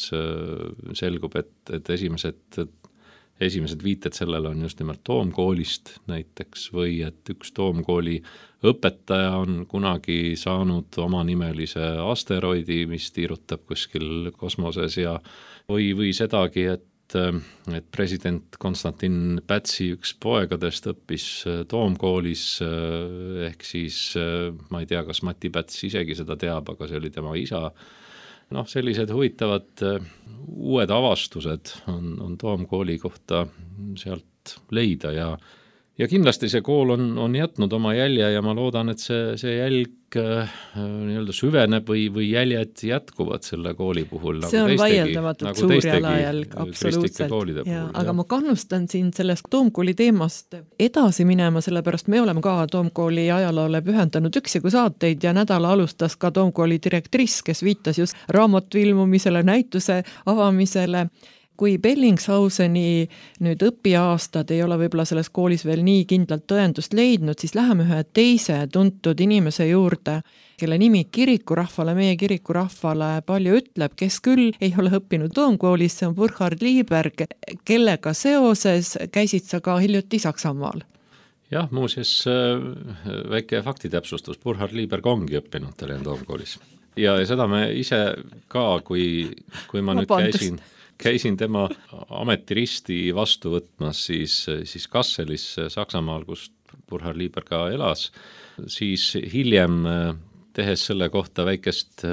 selgub, et, et esimesed Esimesed viited sellele on just nimelt toomkoolist näiteks või et üks toomkooli õpetaja on kunagi saanud omanimelise asteroidi, mis tiirutab kuskil kosmoses ja või, või sedagi, et, et president Konstantin Pätsi üks poegadest õppis toomkoolis, ehk siis ma ei tea, kas Mati Päts isegi seda teab, aga see oli tema isa. Noh, sellised huvitavad uued avastused on, on toomkooli kohta sealt leida ja, ja kindlasti see kool on, on jätnud oma jälje ja ma loodan, et see, see jälg nii-öelda süveneb või, või jäljed jätkuvad selle kooli puhul. See nagu on vaieldamatult nagu suur jalajälg, absoluutselt. Ja, aga ma kannustan siin sellest toomkooli teemast edasi minema, sellepärast me oleme ka toomkooli ajaloole pühendanud üksigu saateid ja nädala alustas ka toomkooli direktriss, kes viitas just raamatu ilmumisele, näituse avamisele. Kui Bellingshauseni nüüd õpiaastad ei ole võib-olla selles koolis veel nii kindlalt tõendust leidnud, siis läheme ühe teise tuntud inimese juurde, kelle nimi kirikurahvale, meie kirikurahvale palju ütleb, kes küll ei ole õppinud toomkoolis, see on Burkhard Lieberg, kellega seoses käisid sa ka hiljuti Saksamaal. Jah, muuseas väike faktitäpsustus, Burkhard Lieberg ongi õppinud Tallinna toomkoolis. Ja seda me ise ka, kui, kui ma nüüd käisin... käisin tema ametiristi vastu võtmas siis, siis Kasselis Saksamaal, kus Burkhard Lieberg ka elas, siis hiljem tehes selle kohta väikest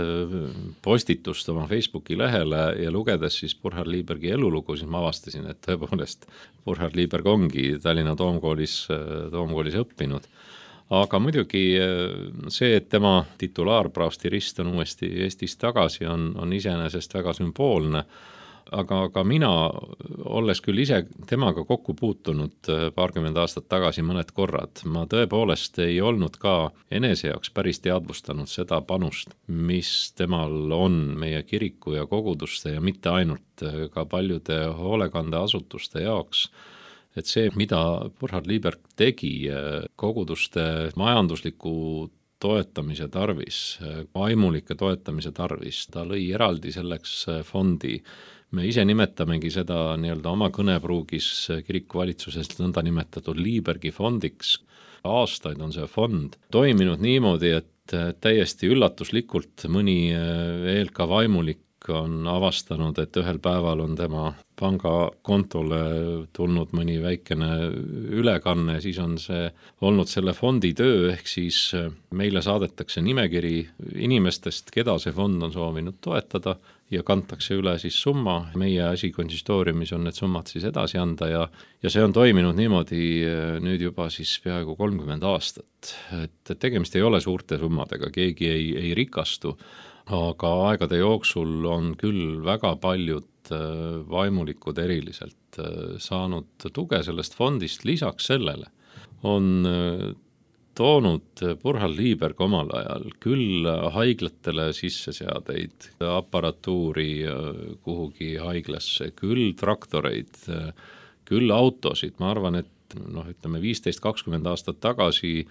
postitust oma Facebooki lehele ja lugedes siis Burkhard Liebergi elulugu, siis ma avastasin, et tõepoolest Burkhard Lieberg ongi Tallinna toomkoolis, toomkoolis õppinud. Aga muidugi see, et tema titulaarpraostirist on uuesti Eestis tagasi, on, on iseenesest väga sümboolne. Aga, aga mina, olles küll ise temaga kokku puutunud paarkümmend aastat tagasi mõned korrad, ma tõepoolest ei olnud ka enese jaoks päris teadvustanud seda panust, mis temal on meie kiriku ja koguduste ja mitte ainult ka paljude hoolekandeasutuste jaoks. Et see, mida Burkhard Lieberg tegi koguduste majandusliku toetamise tarvis, vaimulike toetamise tarvis, ta lõi eraldi selleks fondi. Me ise nimetamegi seda nii-öelda oma kõnepruugis kirikuvalitsusest nõnda nimetatud Liebergi fondiks. Aastaid on see fond toiminud niimoodi, et täiesti üllatuslikult mõni E L K vaimulik on avastanud, et ühel päeval on tema pangakontole tulnud mõni väikene ülekanne, siis on see olnud selle fondi töö, ehk siis meile saadetakse nimekiri inimestest, keda see fond on soovinud toetada ja kantakse üle siis summa. Meie asi konsistooriumis on need summad siis edasi anda ja, ja see on toiminud niimoodi nüüd juba siis peaaegu kolmkümmend aastat. Et tegemist ei ole suurte summadega, keegi ei, ei rikastu, aga aegade jooksul on küll väga paljud vaimulikud eriliselt saanud tuge sellest fondist. Lisaks sellele on toonud Burkhard Lieberg omal ajal küll haiglatele sisseseadeid, aparatuuri kuhugi haiglasse, küll traktoreid, küll autosid. Ma arvan, et noh, ütleme viisteist kakskümmend aastat tagasi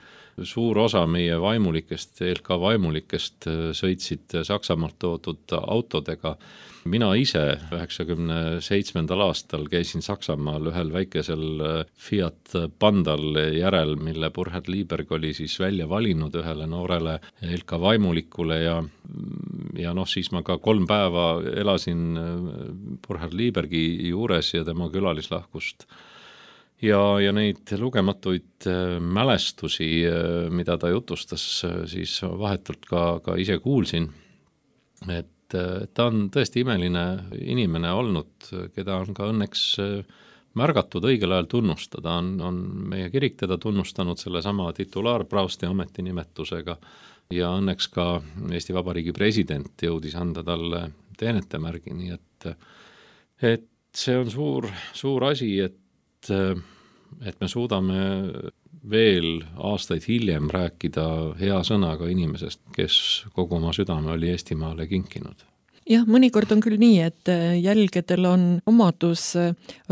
suur osa meie vaimulikest, E L K vaimulikest sõitsid Saksamaalt toodud autodega. Mina ise üheksakümne seitsmendal aastal käisin Saksamaal ühel väikesel Fiat Pandal järel, mille Burkhard Lieberg oli siis välja valinud ühele noorele E L K vaimulikule ja, ja noh, siis ma ka kolm päeva elasin Burkhard Liebergi juures ja tema külalislahkust. Ja, ja neid lugematuid mälestusi, mida ta jutustas, siis vahetult ka, ka ise kuulsin, et ta on tõesti imeline inimene olnud, keda on ka õnneks märgatud õigel ajal tunnustada. On, on meie kirik teda tunnustanud selle sama titulaarpraosti ametinimetusega ja õnneks ka Eesti Vabariigi president jõudis anda talle teenetemärgi, nii et, et see on suur, suur asi, et et me suudame veel aastaid hiljem rääkida hea sõnaga inimesest, kes kogu oma südame oli Eestimaale kinkinud. Jah, mõnikord on küll nii, et jälgedel on omadus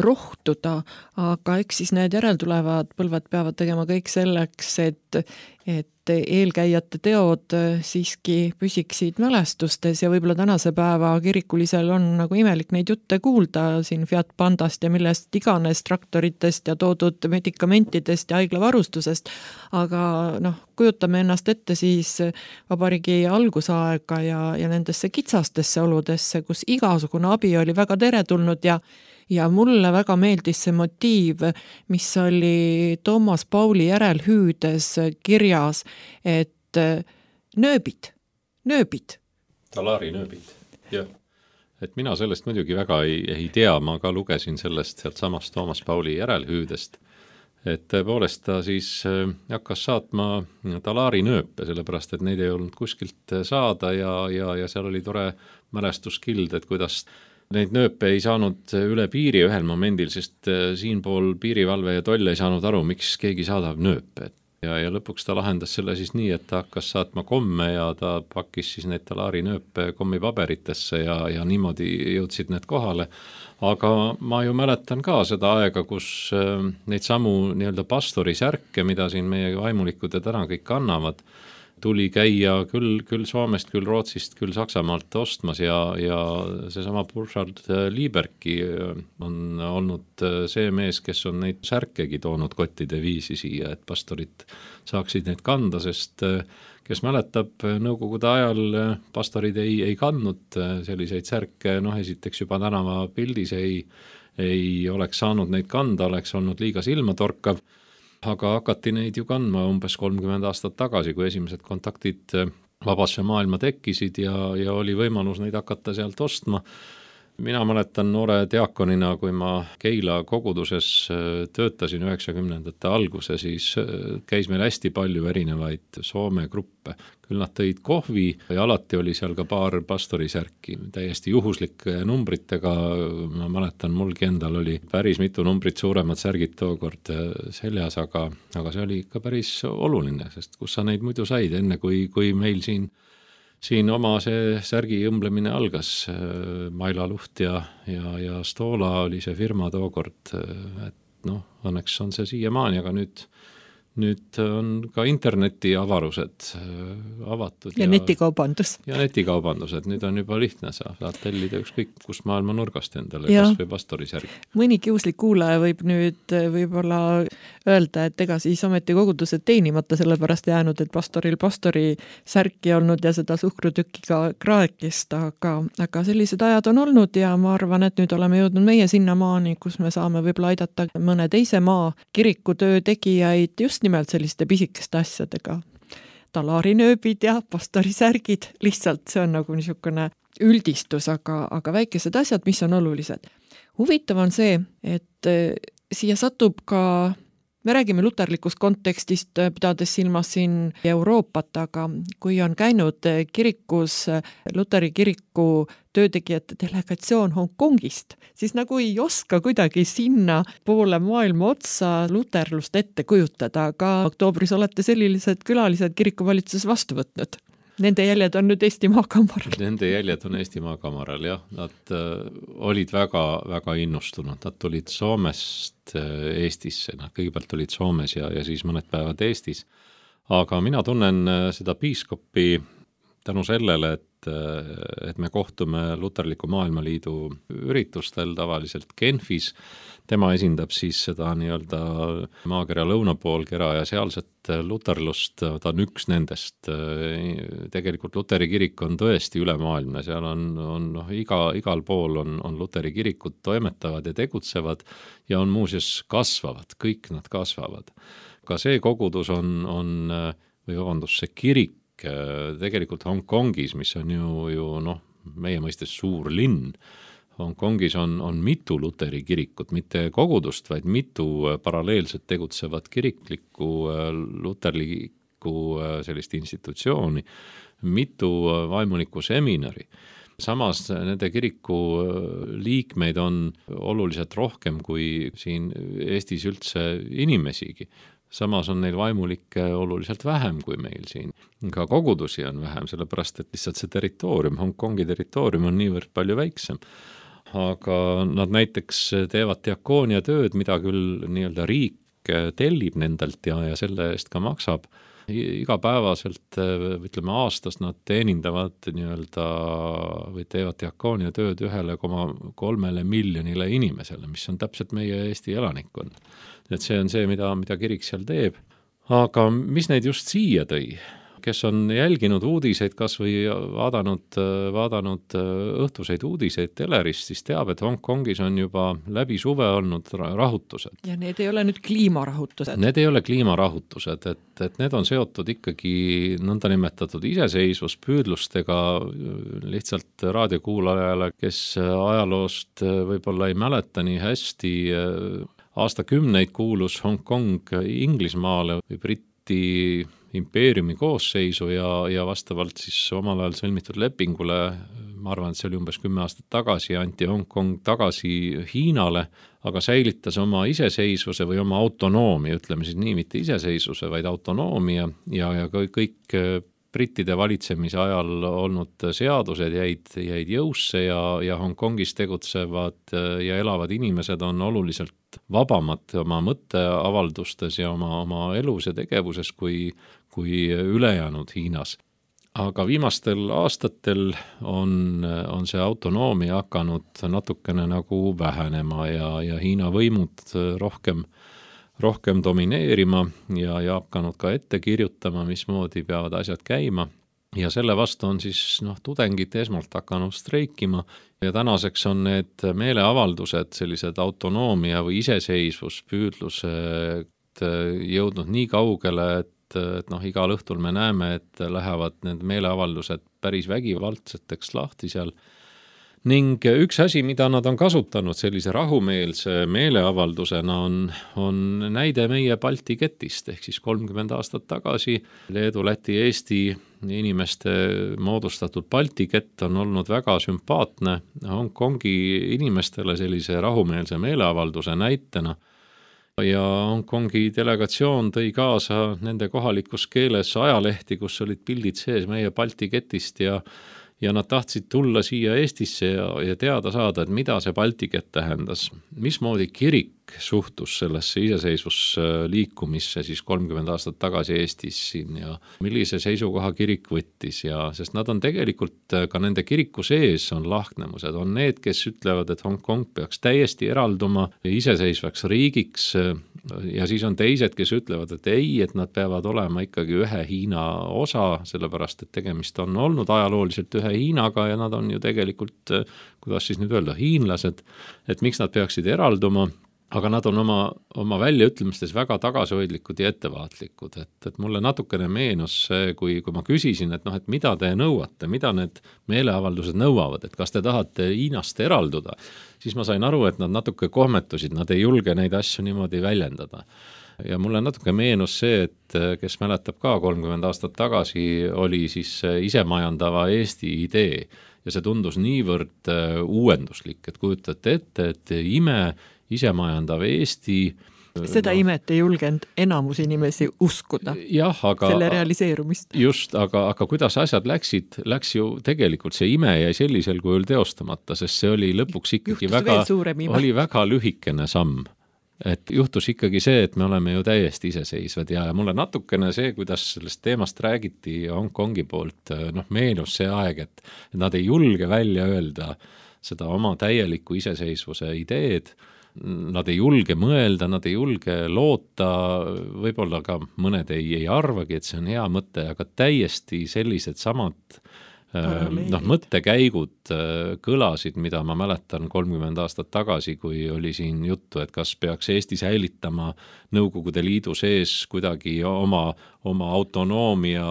rohtuda, aga eks siis need järeltulevad põlved peavad tegema kõik selleks, et, et eelkäijate teod siiski püsiksid mälestustes ja võib-olla tänase päeva kirikulisel on nagu imelik neid jutte kuulda siin Fiat Pandast ja millest iganes traktoritest ja toodud medikamentidest ja haiglavarustusest, aga noh, kujutame ennast ette siis vabariigi algusaega ja, ja nendesse kitsastesse oludesse, kus igasugune abi oli väga teretulnud ja ja mulle väga meeldis see motiiv, mis oli Toomas Pauli järelhüüdes kirjas, et nööbid, nööbid. Talari nööbid, jah. Et mina sellest muidugi väga ei, ei tea, ma ka lugesin sellest sealt samast Toomas Pauli järelhüüdest, et tõepoolest ta siis hakkas saatma talari nööpe, sellepärast et neid ei olnud kuskilt saada ja, ja, ja seal oli tore mälestuskild, et kuidas neid nööpe ei saanud üle piiri ühel momendil, sest siinpool piirivalve ja toll ei saanud aru, miks keegi saadab nööpe. Ja, ja lõpuks ta lahendas selle siis nii, et ta hakkas saatma komme ja ta pakkis siis neid talari nööpe kommipaberitesse ja, ja niimoodi jõudsid need kohale. Aga ma ju mäletan ka seda aega, kus neid samu nii-öelda pastori särke, mida siin meie vaimulikud ja täna kõik annavad, tuli käia küll, küll Soomest, küll Rootsist, küll Saksamaalt ostmas ja, ja seesama Burkhard Liebergi on olnud see mees, kes on neid särkegi toonud kottide viisi siia, et pastorid saaksid neid kanda, sest kes mäletab, nõukogude ajal pastorid ei, ei kandnud selliseid särke, noh esiteks juba tänava pildis ei, ei oleks saanud neid kanda, oleks olnud liiga silmatorkav, aga hakati neid ju kandma umbes kolmkümmend aastat tagasi, kui esimesed kontaktid vabasse maailma tekkisid ja, ja oli võimalus neid hakata sealt ostma. Mina mäletan noore diakonina, kui ma Keila koguduses töötasin üheksakümnendate alguse, siis käis meil hästi palju erinevaid Soome gruppe. Küll nad tõid kohvi ja alati oli seal ka paar pastorisärki, täiesti juhuslike numbritega. Ma mäletan, mulgi endal oli päris mitu numbrit suuremad särgid tookord seljas, aga, aga see oli ikka päris oluline, sest kus sa neid muidu said enne, kui, kui meil siin Siin oma see särgi õmblemine algas, Maila Luht ja, ja, ja Stola oli see firma tookord, et noh, õnneks on see siiamaani, aga nüüd, nüüd on ka interneti avarused avatud. Ja, ja netikaubandus. Ja netikaubandused, nüüd on juba lihtne, sa saad tellida ükskõik kust maailma nurgast endale, ja kas või pastorisärgi. Mõni kiuslik kuulaja võib nüüd võib-olla öelda, et ega siis ometi kogudused teenimata sellepärast jäänud, et pastoril pastori särki olnud ja seda suhkrutükiga kraekist, aga, aga sellised ajad on olnud ja ma arvan, et nüüd oleme jõudnud meie sinna maani, kus me saame võib-olla aidata mõne teise maa kirikutöö tegijaid just nimelt selliste pisikeste asjadega. Talarinööbid ja pastorisärgid, lihtsalt see on nagu niisugune üldistus, aga, aga väikesed asjad, mis on olulised. Huvitav on see, et siia satub ka, me räägime luterlikust kontekstist, pidades silmas siin Euroopat, aga kui on käinud kirikus Luteri kiriku töötegijate delegatsioon Hongkongist, siis nagu ei oska kuidagi sinna poole maailma otsa luterlust ette kujutada, aga oktoobris olete sellised külalised kirikuvalitsuses vastu võtnud. Nende jäljed on nüüd Eesti Maakamaral. Nende jäljed on Eesti Maakamaral, jah. Nad äh, olid väga, väga innustunud. Nad tulid Soomest äh, Eestisse. Nad kõigepealt olid Soomes ja, ja siis mõned päevad Eestis. Aga mina tunnen äh, seda piiskopi tänu sellele, et, äh, et me kohtume Luterliku Maailmaliidu üritustel tavaliselt Genfis. Tema esindab siis seda nii-öelda maakera lõunapoolkera ja sealset luterlust, ta on üks nendest. Tegelikult Luteri kirik on tõesti ülemaailmne, seal on, on noh, iga, igal pool on, on Luteri kirikud toimetavad ja tegutsevad ja on muuseas kasvavad, kõik nad kasvavad. Ka see kogudus on, on või vabandus, see kirik tegelikult Hongkongis, mis on ju, ju noh, meie mõistes suur linn. Hongkongis on, on mitu Luteri kirikut, mitte kogudust, vaid mitu paralleelselt tegutsevat kiriklikku luterlikku sellist institutsiooni, mitu vaimulikku seminari. Samas nende kiriku liikmeid on oluliselt rohkem kui siin Eestis üldse inimesigi. Samas on neil vaimulikke oluliselt vähem kui meil siin. Ka kogudusi on vähem, sellepärast et lihtsalt see territoorium, Hongkongi territoorium on niivõrd palju väiksem. Aga nad näiteks teevad diakoonia tööd, mida küll nii-öelda riik tellib nendelt ja, ja selle eest ka maksab. Igapäevaselt, ütleme aastas nad teenindavad nii-öelda või teevad diakoonia tööd ühele koma kolmele miljonile inimesele, mis on täpselt meie Eesti elanikkond. Et see on see, mida, mida kirik seal teeb. Aga mis neid just siia tõi? Kes on jälginud uudiseid, kas või vaadanud, vaadanud õhtuseid uudiseid telerist, siis teab, et Hongkongis on juba läbi suve olnud rahutused. Ja need ei ole nüüd kliimarahutused? Need ei ole kliimarahutused, et, et need on seotud ikkagi nõnda nimetatud iseseisvuspüüdlustega lihtsalt raadiokuulajale, kes ajaloost võib-olla ei mäleta nii hästi. Aastakümneid kuulus Hongkong Inglismaale või Briti impeeriumi koosseisu ja, ja vastavalt siis omal ajal sõlmitud lepingule, ma arvan, et see oli umbes kümme aastat tagasi, anti Hongkong tagasi Hiinale, aga säilitas oma iseseisvuse või oma autonoomia, ütleme siis nii, mitte iseseisvuse, vaid autonoomia ja, ja kõik brittide valitsemise ajal olnud seadused jäid, jäid jõusse ja, ja Hongkongis tegutsevad ja elavad inimesed on oluliselt vabamad oma mõtteavaldustes ja oma, oma elus ja tegevuses kui, kui ülejäänud Hiinas. Aga viimastel aastatel on, on see autonoomia hakanud natukene nagu vähenema ja, ja Hiina võimud rohkem rohkem domineerima ja, ja hakanud ka ette kirjutama, mismoodi peavad asjad käima. Ja selle vastu on siis noh, tudengid esmalt hakanud streikima ja tänaseks on need meeleavaldused, sellised autonoomia või iseseisvuspüüdlused jõudnud nii kaugele, et, et noh, igal õhtul me näeme, et lähevad need meeleavaldused päris vägivaldseteks lahti seal. Ning üks asi, mida nad on kasutanud sellise rahumeelse meeleavaldusena on, on näide meie Balti ketist, ehk siis kolmkümmend aastat tagasi Leedu, Läti, Eesti inimeste moodustatud Balti kett on olnud väga sümpaatne Hongkongi inimestele sellise rahumeelse meeleavalduse näitena. Ja Hongkongi delegatsioon tõi kaasa nende kohalikus keeles ajalehti, kus olid pildid sees meie Balti ketist ja ja nad tahtsid tulla siia Eestisse ja, ja teada saada, et mida see Balti kett tähendas. Mismoodi kirik suhtus sellesse iseseisvusliikumisse siis kolmkümmend aastat tagasi Eestis siin ja millise seisukoha kirik võttis ja sest nad on tegelikult ka nende kiriku sees on lahknemused, on need, kes ütlevad, et Hongkong peaks täiesti eralduma iseseisvaks riigiks ja siis on teised, kes ütlevad, et ei, et nad peavad olema ikkagi ühe Hiina osa, sellepärast, et tegemist on olnud ajalooliselt ühe Hiinaga ja nad on ju tegelikult, kuidas siis nüüd öelda, hiinlased, et miks nad peaksid eralduma, aga nad on oma, oma väljaütlemistes väga tagasihoidlikud ja ettevaatlikud, et, et mulle natukene meenus see, kui, kui ma küsisin, et noh, et mida te nõuate, mida need meeleavaldused nõuavad, et kas te tahate Hiinast eralduda, siis ma sain aru, et nad natuke kohmetusid, nad ei julge neid asju niimoodi väljendada. Ja mulle natuke meenus see, et kes mäletab ka kolmkümmend aastat tagasi oli siis isemajandava Eesti idee ja see tundus niivõrd uuenduslik, et kujutate ette, et ime isemajandav Eesti seda no, imet ei julgenud enamus inimesi uskuda, jah, aga, selle realiseerumist. Just, aga, aga kuidas asjad läksid, läks ju tegelikult see ime jäi sellisel kujul teostamata, sest see oli lõpuks ikkagi Juhtus väga, oli väga lühikene samm. Et juhtus ikkagi see, et me oleme ju täiesti iseseisvad ja mulle natukene see, kuidas sellest teemast räägiti Hongkongi poolt, noh meenus see aeg, et nad ei julge välja öelda seda oma täieliku iseseisvuse ideed, nad ei julge mõelda, nad ei julge loota, võib-olla ka mõned ei, ei arvagi, et see on hea mõte, aga täiesti sellised samad noh, mõttekäigud kõlasid, mida ma mäletan kolmkümmend aastat tagasi, kui oli siin juttu, et kas peaks Eesti säilitama Nõukogude Liidu sees kuidagi oma, oma autonoomia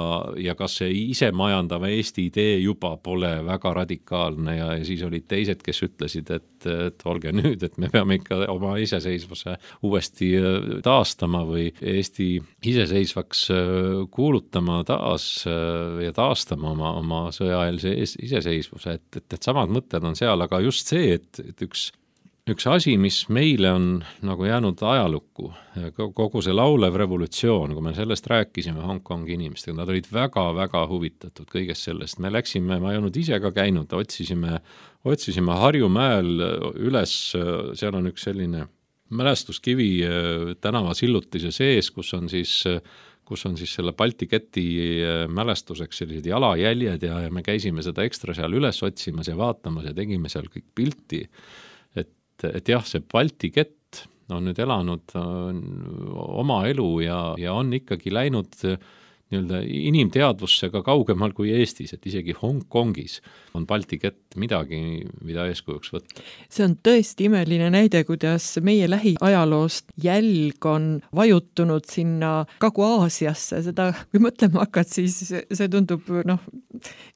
ja kas see isemajandava Eesti idee juba pole väga radikaalne ja, ja siis olid teised, kes ütlesid, et, et olge nüüd, et me peame ikka oma iseseisvuse uuesti taastama või Eesti iseseisvaks kuulutama taas ja taastama oma, oma sõjaeelse iseseisvuse, et, et, et samad mõtted on seal, aga just see, et, et üks Üks asi, mis meile on nagu jäänud ajalukku, kogu see laulev revolutsioon, kui me sellest rääkisime Hongkongi inimestega, nad olid väga-väga huvitatud kõigest sellest. Me läksime, ma ei olnud ise ka käinud, otsisime, otsisime Harjumäel üles, seal on üks selline mälestuskivi tänavasillutise sees, kus on siis kus on siis selle Balti keti mälestuseks sellised jalajäljed ja, ja me käisime seda ekstra seal üles otsimas ja vaatamas ja tegime seal kõik pilti. Et jah, see Balti kett on nüüd elanud oma elu ja, ja on ikkagi läinud nii-öelda inimteadvusse ka kaugemal kui Eestis, et isegi Hongkongis on Balti kett midagi, mida eeskujuks võtta. See on tõesti imeline näide, kuidas meie lähiajaloost jälg on vajutunud sinna Kagu-Aasiasse, seda kui mõtlema hakkad, siis see tundub noh,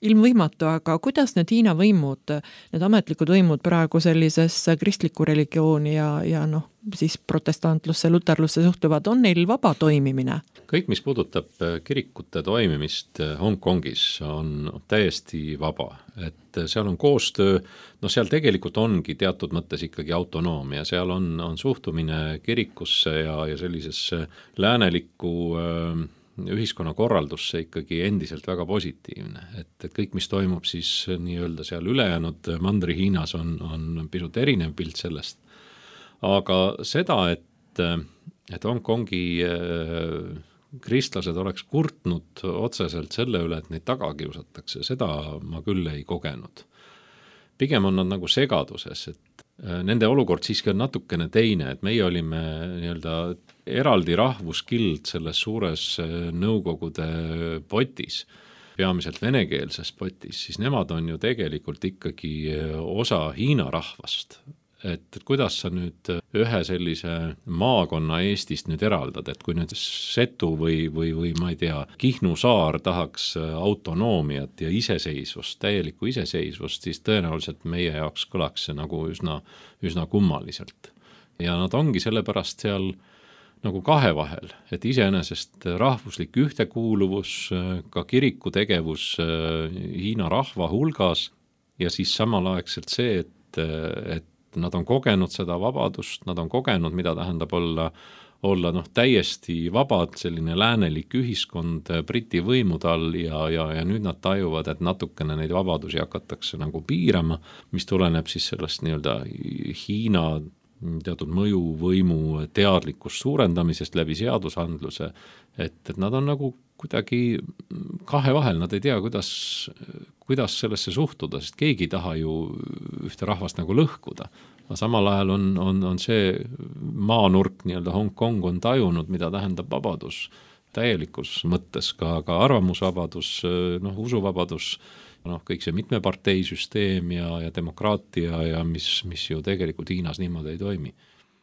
ilmvõimatu, aga kuidas need Hiina võimud, need ametlikud võimud praegu sellisesse kristliku religiooni ja, ja noh, siis protestantlusse, luterlusse suhtuvad, on neil vaba toimimine? Kõik, mis puudutab kirikute toimimist Hongkongis, on täiesti vaba, et seal on koostöö, no seal tegelikult ongi teatud mõttes ikkagi autonoomia, seal on, on suhtumine kirikusse ja, ja sellisesse läänelikku äh, ühiskonnakorraldusse ikkagi endiselt väga positiivne, et, et kõik, mis toimub siis nii-öelda seal ülejäänud Mandri-Hiinas on, on pisut erinev pilt sellest. Aga seda, et, et Hongkongi äh, kristlased oleks kurtnud otseselt selle üle, et neid taga kiusatakse, seda ma küll ei kogenud. Pigem on nad nagu segaduses, et nende olukord siiski on natukene teine, et meie olime nii-öelda eraldi rahvuskild selles suures Nõukogude potis, peamiselt venekeelses potis, siis nemad on ju tegelikult ikkagi osa Hiina rahvast. Et kuidas sa nüüd ühe sellise maakonna Eestist nüüd eraldad, et kui nüüd Setu või, või, või ma ei tea, Kihnu saar tahaks autonoomiat ja iseseisvust, täielikku iseseisvust, siis tõenäoliselt meie jaoks kõlaks see nagu üsna, üsna kummaliselt. Ja nad ongi sellepärast seal nagu kahe vahel, et iseenesest rahvuslik ühtekuuluvus, ka kiriku tegevus Hiina rahva hulgas ja siis samalaegselt see, et, et nad on kogenud seda vabadust, nad on kogenud, mida tähendab olla, olla noh, täiesti vabad, selline läänelik ühiskond Briti võimude all ja, ja, ja nüüd nad tajuvad, et natukene neid vabadusi hakatakse nagu piirama, mis tuleneb siis sellest nii-öelda Hiina teatud mõjuvõimu teadlikkust suurendamisest läbi seadusandluse, et, et nad on nagu kuidagi kahe vahel, nad ei tea, kuidas, kuidas sellesse suhtuda, sest keegi ei taha ju ühte rahvast nagu lõhkuda. Aga samal ajal on, on, on see maanurk, nii-öelda Hong Kong on tajunud, mida tähendab vabadus täielikus mõttes, ka, ka arvamusvabadus, noh, usuvabadus, noh, kõik see mitmeparteisüsteem ja, ja demokraatia ja mis, mis ju tegelikult Hiinas niimoodi ei toimi.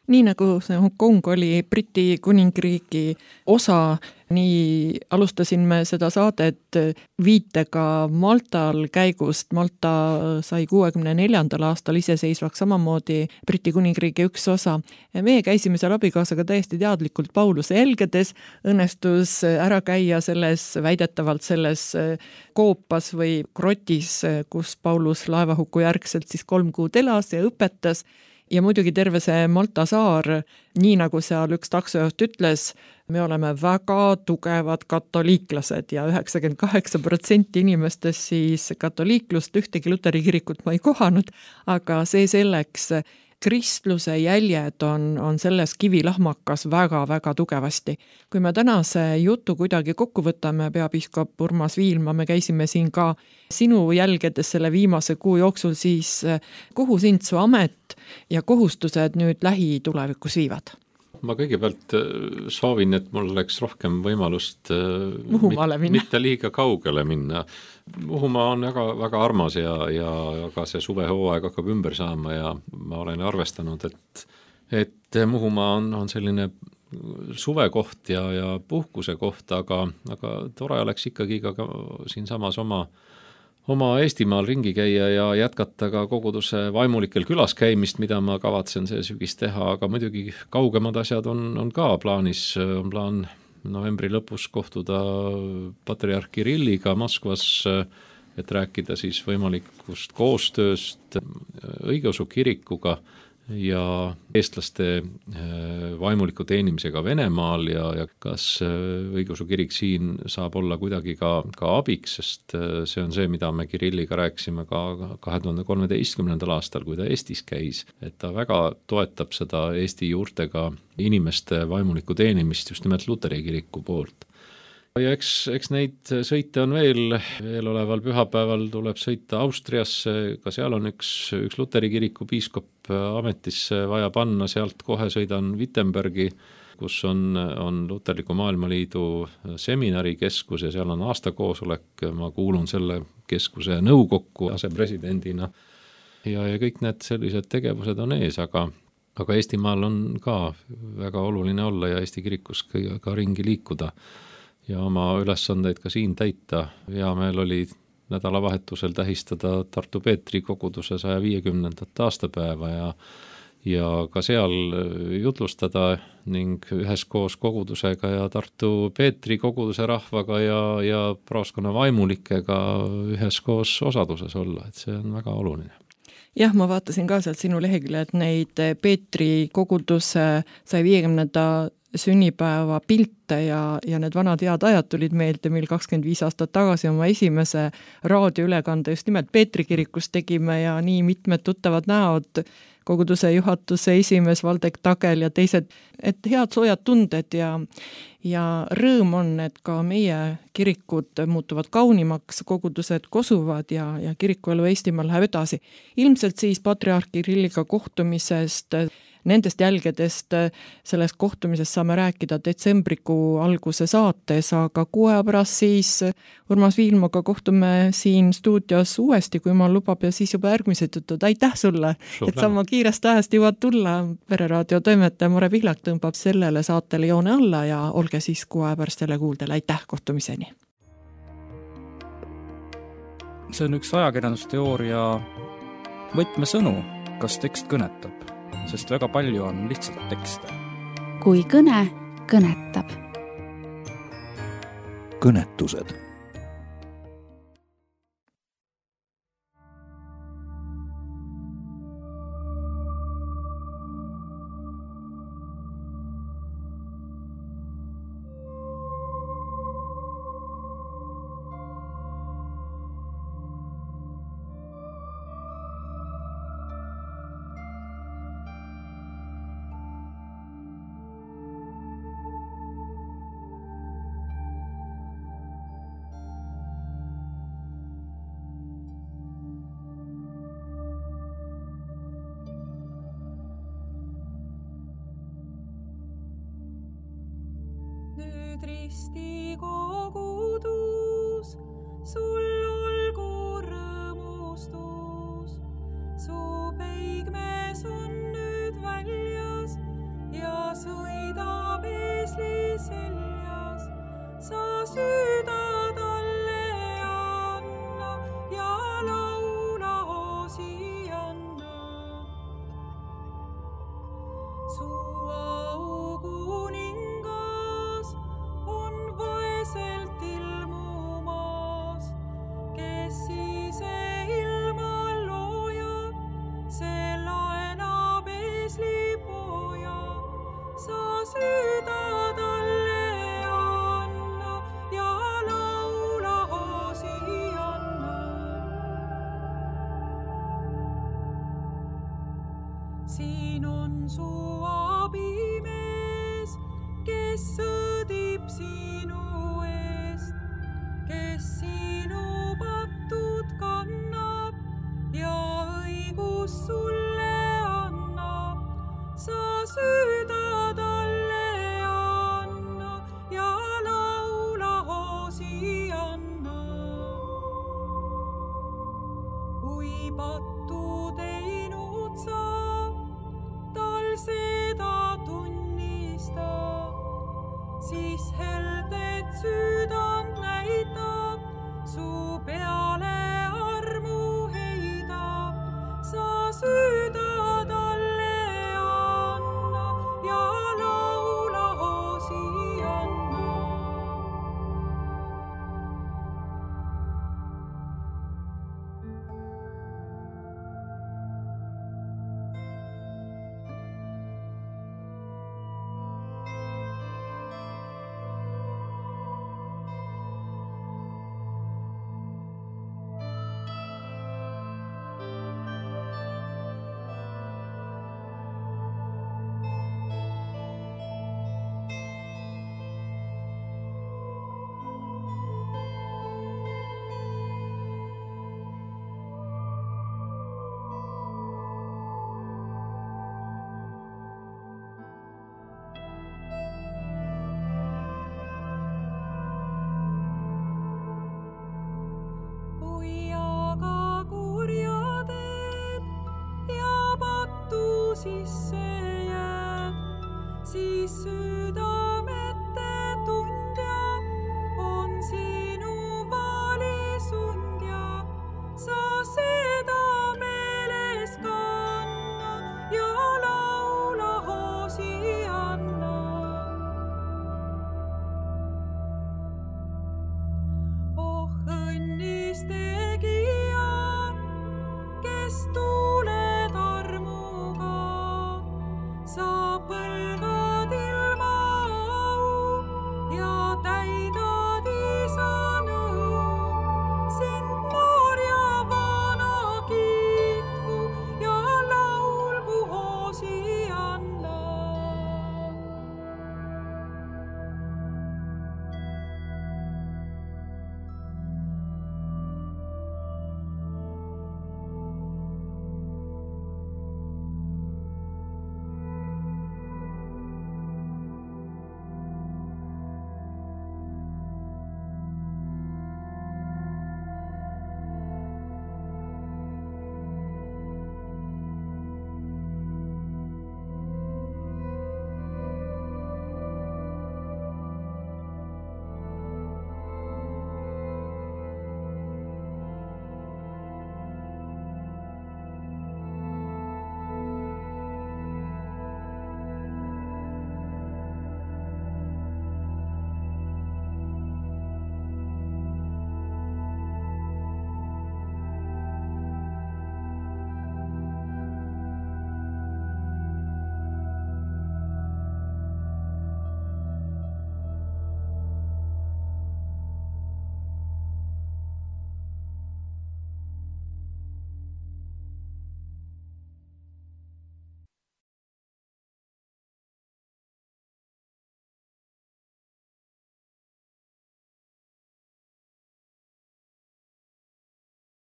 Nii nagu see Hong Kong oli Briti kuningriigi osa, nii alustasin me seda saadet viitega Maltal käigust. Malta sai kuuekümne neljandal aastal iseseisvaks samamoodi Briti kuningriigi üks osa. Meie käisime seal abikaasaga täiesti teadlikult Pauluse jälgedes, õnnestus ära käia selles, väidetavalt selles koopas või grotis, kus Paulus laevahuku järgselt siis kolm kuud elas ja õpetas. Ja muidugi terve see Malta saar, nii nagu seal üks taksojuht ütles, me oleme väga tugevad katoliiklased ja üheksakümmend kaheksa protsenti inimestest siis katoliiklust, ühtegi luteri kirikut ma ei kohanud, aga see selleks, kristluse jäljed on, on selles kivilahmakas väga-väga tugevasti. Kui me tänase jutu kuidagi kokku võtame, peapiiskop Urmas Viilma, me käisime siin ka sinu jälgedes selle viimase kuu jooksul, siis kuhu sind su amet ja kohustused nüüd lähitulevikus viivad? Ma kõigepealt soovin, et mul oleks rohkem võimalust Muhumaale minna. Mitte liiga kaugele minna. Muhumaa on väga, väga armas ja, ja ka see suvehooaeg hakkab ümber saama ja ma olen arvestanud, et, et Muhumaa on, on selline suvekoht ja, ja puhkuse koht, aga, aga tore oleks ikkagi ka siin samas oma oma Eestimaal ringi käia ja jätkata ka koguduse vaimulikel külas käimist, mida ma kavatsen see sügis teha, aga muidugi kaugemad asjad on, on ka plaanis, on plaan novembri lõpus kohtuda patriarh Kirilliga Moskvas, et rääkida siis võimalikust koostööst õigeusu kirikuga ja eestlaste vaimuliku teenimisega Venemaal ja, ja kas õigeusu kirik siin saab olla kuidagi ka, ka abiks, sest see on see, mida me Kirilliga rääkisime ka kahe tuhande kolmeteistkümnendal aastal, kui ta Eestis käis, et ta väga toetab seda Eesti juurtega inimeste vaimuliku teenimist just nimelt luteri kiriku poolt. Ja eks, eks neid sõite on veel, veel oleval pühapäeval tuleb sõita Austriasse, ka seal on üks, üks luteri kiriku piiskop ametisse vaja panna, sealt kohe sõidan Wittenbergi, kus on, on Luterliku Maailmaliidu seminarikeskus ja seal on aastakoosolek, ma kuulun selle keskuse nõukokku asepresidendina ja, ja kõik need sellised tegevused on ees, aga aga Eestimaal on ka väga oluline olla ja Eesti kirikus ka, ka ringi liikuda ja oma ülesandeid ka siin täita. Hea meel oli nädalavahetusel tähistada Tartu Peetri koguduse saja viiekümnendat aastapäeva ja, ja ka seal jutlustada ning üheskoos kogudusega ja Tartu Peetri koguduse rahvaga ja, ja praoskonna vaimulikega üheskoos osaduses olla, et see on väga oluline. Jah, ma vaatasin ka sealt sinu lehekülje, et neid Peetri koguduse saja viiekümnenda sünnipäeva pilte ja, ja need vanad head ajad tulid meelde, mil kakskümmend viis aastat tagasi oma esimese raadioülekande just nimelt Peetri kirikust tegime ja nii mitmed tuttavad näod, koguduse juhatuse esimees Valdek Tagel ja teised, et head soojad tunded ja, ja rõõm on, et ka meie kirikud muutuvad kaunimaks, kogudused kosuvad ja, ja kirikuelu Eestimaal läheb edasi. Ilmselt siis patriarh Kirilliga kohtumisest, nendest jälgedest sellest kohtumisest saame rääkida detsembrikuu alguse saates, aga kuu aja pärast siis Urmas Viilmaga kohtume siin stuudios uuesti, kui ma lubab ja siis juba järgmised jutud. Aitäh sulle, Suur et sama kiirest ajast jõuad tulla. Pereraadio toimetaja Mare Pihlak tõmbab sellele saatele joone alla ja olge siis kuu aja pärast jälle kuuldel. Aitäh, kohtumiseni! See on üks ajakirjandusteooria võtmesõnu, kas tekst kõnetab. Sest väga palju on lihtsalt tekste. Kui kõne kõnetab. Kõnetused. nüüd risti kogudus, sul olgu rõõmustus. Su peigmees on nüüd väljas ja sõidab eesli seljas. Sa süüda talle anna ja laula Hosianna. Su aukuningas on vaeselt ilmumas, kes ise ilma loojab, see laenab eeslipoja. Sa süüda talle anna ja laula Hosianna. Siin on su abimees, kes sõdib sinu eest, kes sinu patud kannab ja õigus sulle annab. Sa süüda talle anna ja laula Hosianna. Kui pattu teinud sa, tal seda tunnista, siis heldet süüdand näitab, su peale armu heidab. Sa süüda talle anna ja laula Hosianna. Sisse jääd, siis südamete tundja on sinu vaalisundja. Sa seda meeles kanna ja laula Hosianna. Oh õnnis tegija, kes